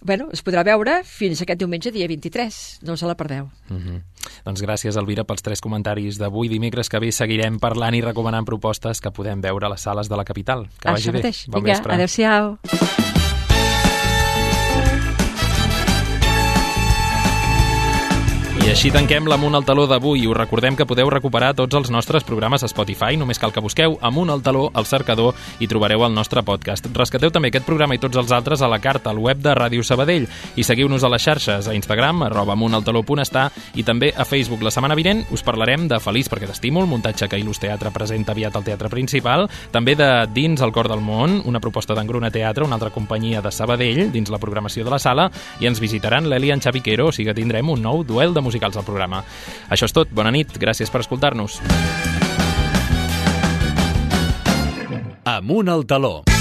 Bueno, es podrà veure fins aquest diumenge, dia vint-i-tres, no us la perdeu. Mm-hmm. Doncs gràcies, Elvira, pels tres comentaris d'avui. Dimecres que ve seguirem parlant i recomanant propostes que podem veure a les sales de la capital. Que Això vagi bé. mateix. Bon Vinga, vespre. adéu-siau. I així tanquem l'Amunt al Taló d'avui. Us recordem que podeu recuperar tots els nostres programes a Spotify. Només cal que busqueu Amunt al Taló al cercador i trobareu el nostre podcast. Rescateu també aquest programa i tots els altres a la carta al web de Ràdio Sabadell i seguiu-nos a les xarxes, a Instagram, arroba amuntaltaló.està i també a Facebook. La setmana vinent us parlarem de Feliç perquè t'estimo, el muntatge que Il·lus Teatre presenta aviat al Teatre Principal, també de Dins el cor del món, una proposta d'Engruna Teatre, una altra companyia de Sabadell, dins la programació de la sala, i ens visitaran l'Eli i en Xavi Quero, o sigui que tindrem un nou duel de musicals al programa. Això és tot, bona nit, gràcies per escoltar-nos. Amunt al Taló.